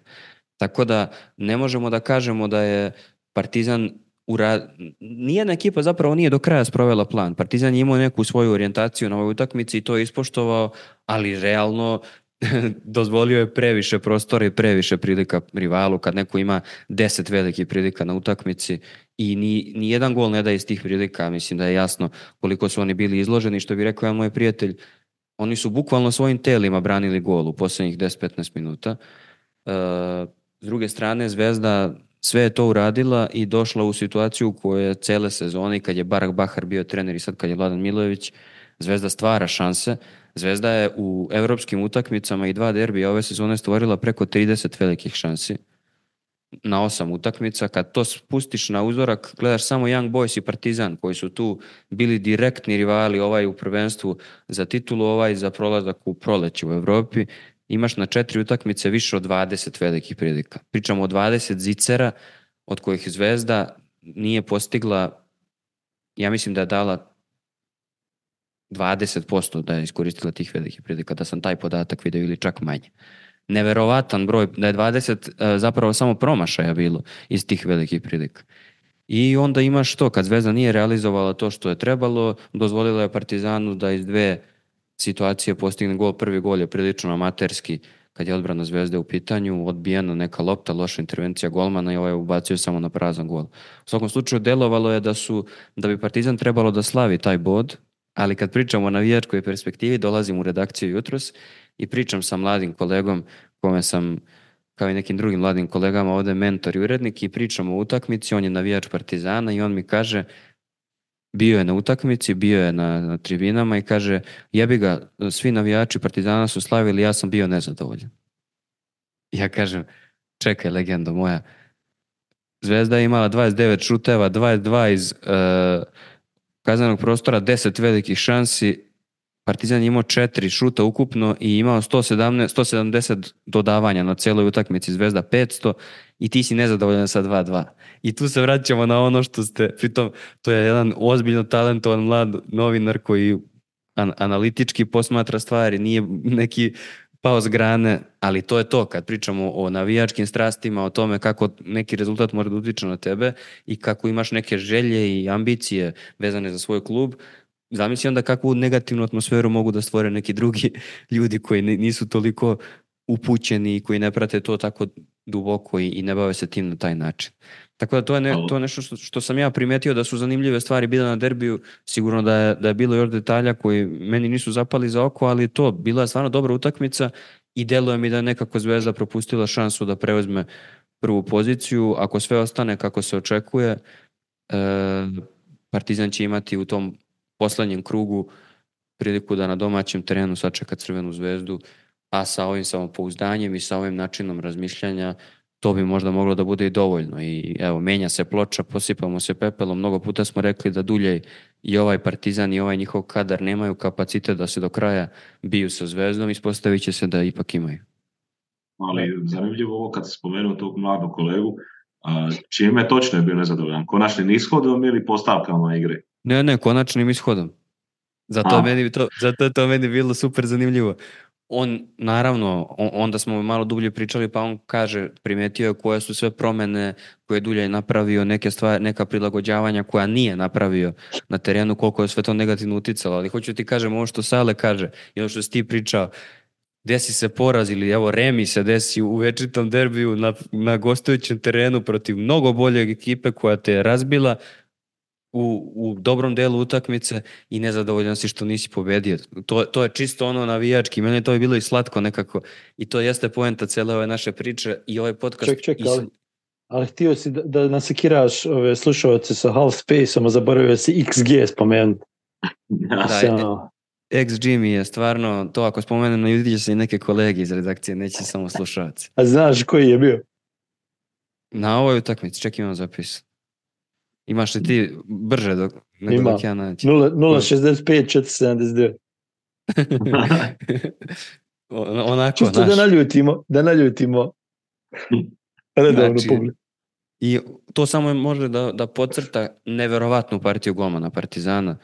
Tako da ne možemo da kažemo da je Partizan ura... Nijedna ekipa zapravo nije do kraja sprovela plan. Partizan je imao neku svoju orijentaciju na ovoj utakmici i to je ispoštovao, ali realno dozvolio je previše prostora i previše prilika rivalu kad neko ima deset velikih prilika na utakmici i ni, ni jedan gol ne da iz tih prilika. Mislim da je jasno koliko su oni bili izloženi, što bi rekao jedan moj prijatelj, oni su bukvalno svojim telima branili gol u posljednjih deset do petnaest minuta. Uh, s druge strane, Zvezda sve je to uradila i došla u situaciju u kojoj je cele sezone, kad je Barak Bahar bio trener i sad kad je Vladan Milojević, Zvezda stvara šanse. Zvezda je u evropskim utakmicama i dva derbija ove sezone stvorila preko trideset velikih šansi na osam utakmica. Kad to spustiš na uzorak, gledaš samo Young Boys i Partizan koji su tu bili direktni rivali, ovaj u prvenstvu za titulu, ovaj za prolazak u proleće u Evropi. Imaš na četiri utakmice više od dvadeset velikih prilika. Pričamo o dvadeset zicera, od kojih Zvezda nije postigla, ja mislim da je dala dvadeset posto da je iskoristila tih velikih prilika, da sam taj podatak vidio ili čak manje. Neverovatan broj, da je dvadeset zapravo samo promašaja bilo iz tih velikih prilika. I onda imaš to, kad Zvezda nije realizovala to što je trebalo, dozvolila je Partizanu da iz dve situacije postigne gol. Prvi gol je prilično amaterski, kad je odbrana Zvezde u pitanju, odbijena neka lopta, loša intervencija golmana i ovaj ubacio samo na prazan gol. U svakom slučaju delovalo je da su, da bi Partizan trebalo da slavi taj bod, ali kad pričamo o navijačkoj perspektivi, dolazim u redakciju jutros i pričam sa mladim kolegom, kome sam, kao i nekim drugim mladim kolegama, ovde mentor i urednik, i pričamo o utakmici, on je navijač Partizana i on mi kaže, bio je na utakmici, bio je na, na tribinama i kaže, jebi ga, svi navijači Partizana su slavili, ja sam bio nezadovoljan. Ja kažem, čekaj, legendo moja, Zvezda je imala dvadeset devet šuteva, dvadeset dva iz uh, kaznenog prostora, deset velikih šansi, Partizan je imao četiri šuta ukupno i imao sto sedamnaest, sto sedamdeset dodavanja na celoj utakmici, Zvezda petsto, i ti si nezadovoljan sa dva dva. I tu se vraćamo na ono što ste, pritom to je jedan ozbiljno talentovan mlad novinar koji an- analitički posmatra stvari, nije neki pao s grane, ali to je to, kad pričamo o navijačkim strastima, o tome kako neki rezultat može da utiče na tebe i kako imaš neke želje i ambicije vezane za svoj klub. Zamisli onda kakvu negativnu atmosferu mogu da stvore neki drugi ljudi koji nisu toliko upućeni i koji ne prate to tako duboko i ne bave se tim na taj način. Tako da to je, ne, to je nešto što, što sam ja primetio da su zanimljive stvari bile na derbiju. Sigurno da je, da je bilo još detalja koji meni nisu zapali za oko, ali to, bila je stvarno dobra utakmica i deluje mi da je nekako Zvezda propustila šansu da preuzme prvu poziciju. Ako sve ostane kako se očekuje, e, Partizan će imati u tom poslednjem krugu priliku da na domaćem terenu sačeka Crvenu Zvezdu, a sa ovim samopouzdanjem i sa ovim načinom razmišljanja to bi možda moglo da bude i dovoljno. I evo, menja se ploča, posipamo se pepelom. Mnogo puta smo rekli da Duljej i ovaj Partizan i ovaj njihov kadar nemaju kapacitet da se do kraja biju sa Zvezdom, ispostavit će se da ipak imaju. Ali zanimljivo ovo kad se spomenuo tog mladog kolegu, čime točno je bio nezadovoljan? Konačnim ishodom ili postavkama igre? Ne, ne, konačnim ishodom. Zato, meni to, zato je to meni bilo super zanimljivo. On, naravno, on, onda smo malo dublje pričali, pa on kaže, primetio je koje su sve promene koje je Duljaj napravio, neke stvari, neka prilagođavanja koja nije napravio na terenu, koliko je sve to negativno uticalo. Ali hoću ti kažem, ovo što Sale kaže i ono što si ti pričao, desi se poraz ili evo remi se desi u večitom derbiju na, na gostujućem terenu protiv mnogo boljeg ekipe koja te je razbila u, u dobrom delu utakmice i nezadovoljan si što nisi pobedio. To, to je čisto ono navijački. Meni je to je bilo i slatko nekako. I to jeste poenta cele ove naše priče i ovaj podcast. Ček, ček, ali, ali htio si da, da nasekiraš ove slušalce sa Half Space-om, a zaboravio si X G spomenuti. Da, X G mi je stvarno, to ako spomenem na ljudi će se i neke kolege iz redakcije, neće samo slušalci. A znaš koji je bio? Na ovoj utakmici, ček imam zapis. Imaš li ti brže dok, nego Ima. dok ja naći? nula šezdeset pet četiristo sedamdeset devet onako, čisto znaš. da naljutimo, da naljutimo redovno Znači, publiku. I to samo može da, da podcrta neverovatnu partiju golmana Partizana,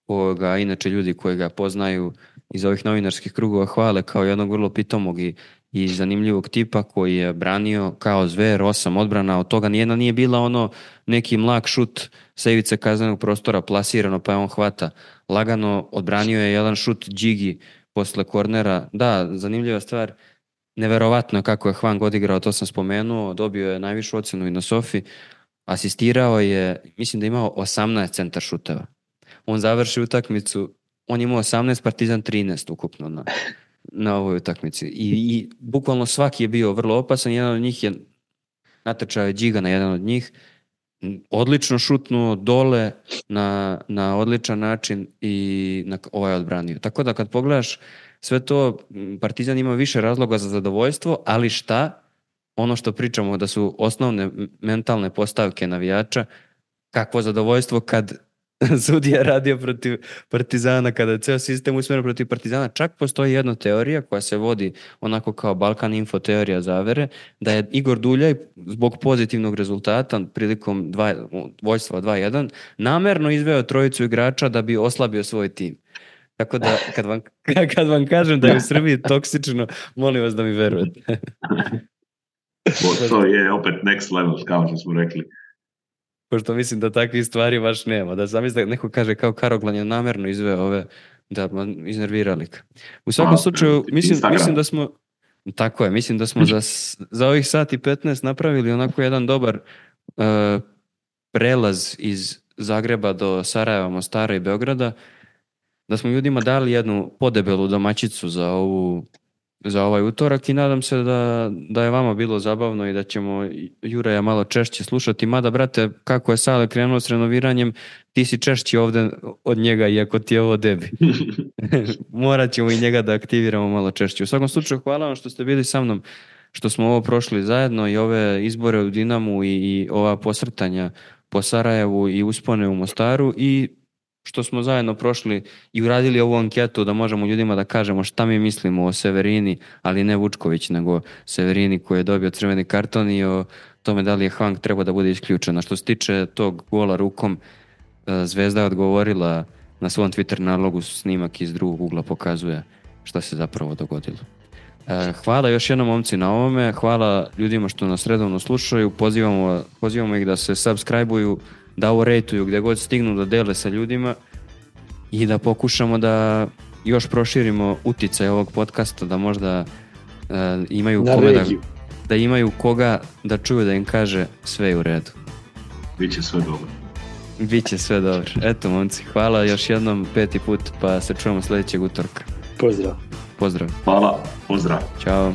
koga inače ljudi koji ga poznaju iz ovih novinarskih krugova hvale kao jednog vrlo pitomog i, i zanimljivog tipa koji je branio kao zver, osam odbrana, od toga nijedna nije bila ono neki mlak šut sa ivice kaznenog prostora plasirano pa je on hvata. Lagano odbranio je jedan šut Đigi posle kornera. Da, zanimljiva stvar, neverovatno kako je Hwang odigrao, to sam spomenuo, dobio je najvišu ocenu i na Sofi, asistirao je, mislim da je imao osamnaest centar šuteva. On završi utakmicu, on imao osamnaest, Partizan trinaest ukupno na, na ovoj utakmici. I, I bukvalno svaki je bio vrlo opasan, jedan od njih je natrčao je Điga na jedan od njih, odlično šutnuo dole na, na odličan način i na, ovaj odbranio. Tako da kad pogledaš sve to, Partizan ima više razloga za zadovoljstvo, ali šta? Ono što pričamo da su osnovne mentalne postavke navijača, kakvo zadovoljstvo kad sudija radio protiv Partizana, kada je ceo sistem usmjeren protiv Partizana. Čak postoji jedna teorija koja se vodi onako kao Balkan Info teorija zavere, da je Igor Duljaj zbog pozitivnog rezultata prilikom dva, vojstva dva jedan namerno izveo trojicu igrača da bi oslabio svoj tim. Tako da kad vam, kad vam kažem da je u Srbiji toksično, molim vas da mi verujete. To je opet next level, kao što smo rekli. Pošto mislim da takvih stvari baš nema. Da sam da neko kaže kao Karoglan je namerno izveo ove, da iznervirali. U svakom A, slučaju, mislim, mislim da smo, tako je, mislim da smo za, za ovih sat i petnaest napravili onako jedan dobar uh, prelaz iz Zagreba do Sarajeva, Mostara i Beograda, da smo ljudima dali jednu podebelu domaćicu za ovu za ovaj utorak i nadam se da, da je vama bilo zabavno i da ćemo Juraja malo češće slušati. Mada, brate, kako je Sale krenuo s renoviranjem, ti si češći ovde od njega, iako ti je ovo debi. Morat ćemo i njega da aktiviramo malo češće. U svakom slučaju, hvala vam što ste bili sa mnom, što smo ovo prošli zajedno i ove izbore u Dinamu i, i ova posrtanja po Sarajevu i uspone u Mostaru i što smo zajedno prošli i uradili ovu anketu da možemo ljudima da kažemo šta mi mislimo o Severini, ali ne Vučković, nego Severini koji je dobio crveni karton i o tome da li je Hwang treba da bude isključena. Što se tiče tog gola rukom, Zvezda je odgovorila na svom Twitter nalogu, snimak iz drugog ugla pokazuje šta se zapravo dogodilo. Hvala još jednom momci na ovome, hvala ljudima što nas redovno slušaju, pozivamo, pozivamo ih da se subscribe-uju, da ovo rejtuju gdje god stignu, da dele sa ljudima i da pokušamo da još proširimo uticaj ovog podcasta, da možda uh, imaju kome da, da imaju koga da čuju da im kaže sve je u redu. Biće sve dobro. Biće sve dobro. Eto, momci, hvala još jednom peti put, pa se čujemo sljedećeg utorka. Pozdrav. Pozdrav. Hvala, pozdrav. Ćao.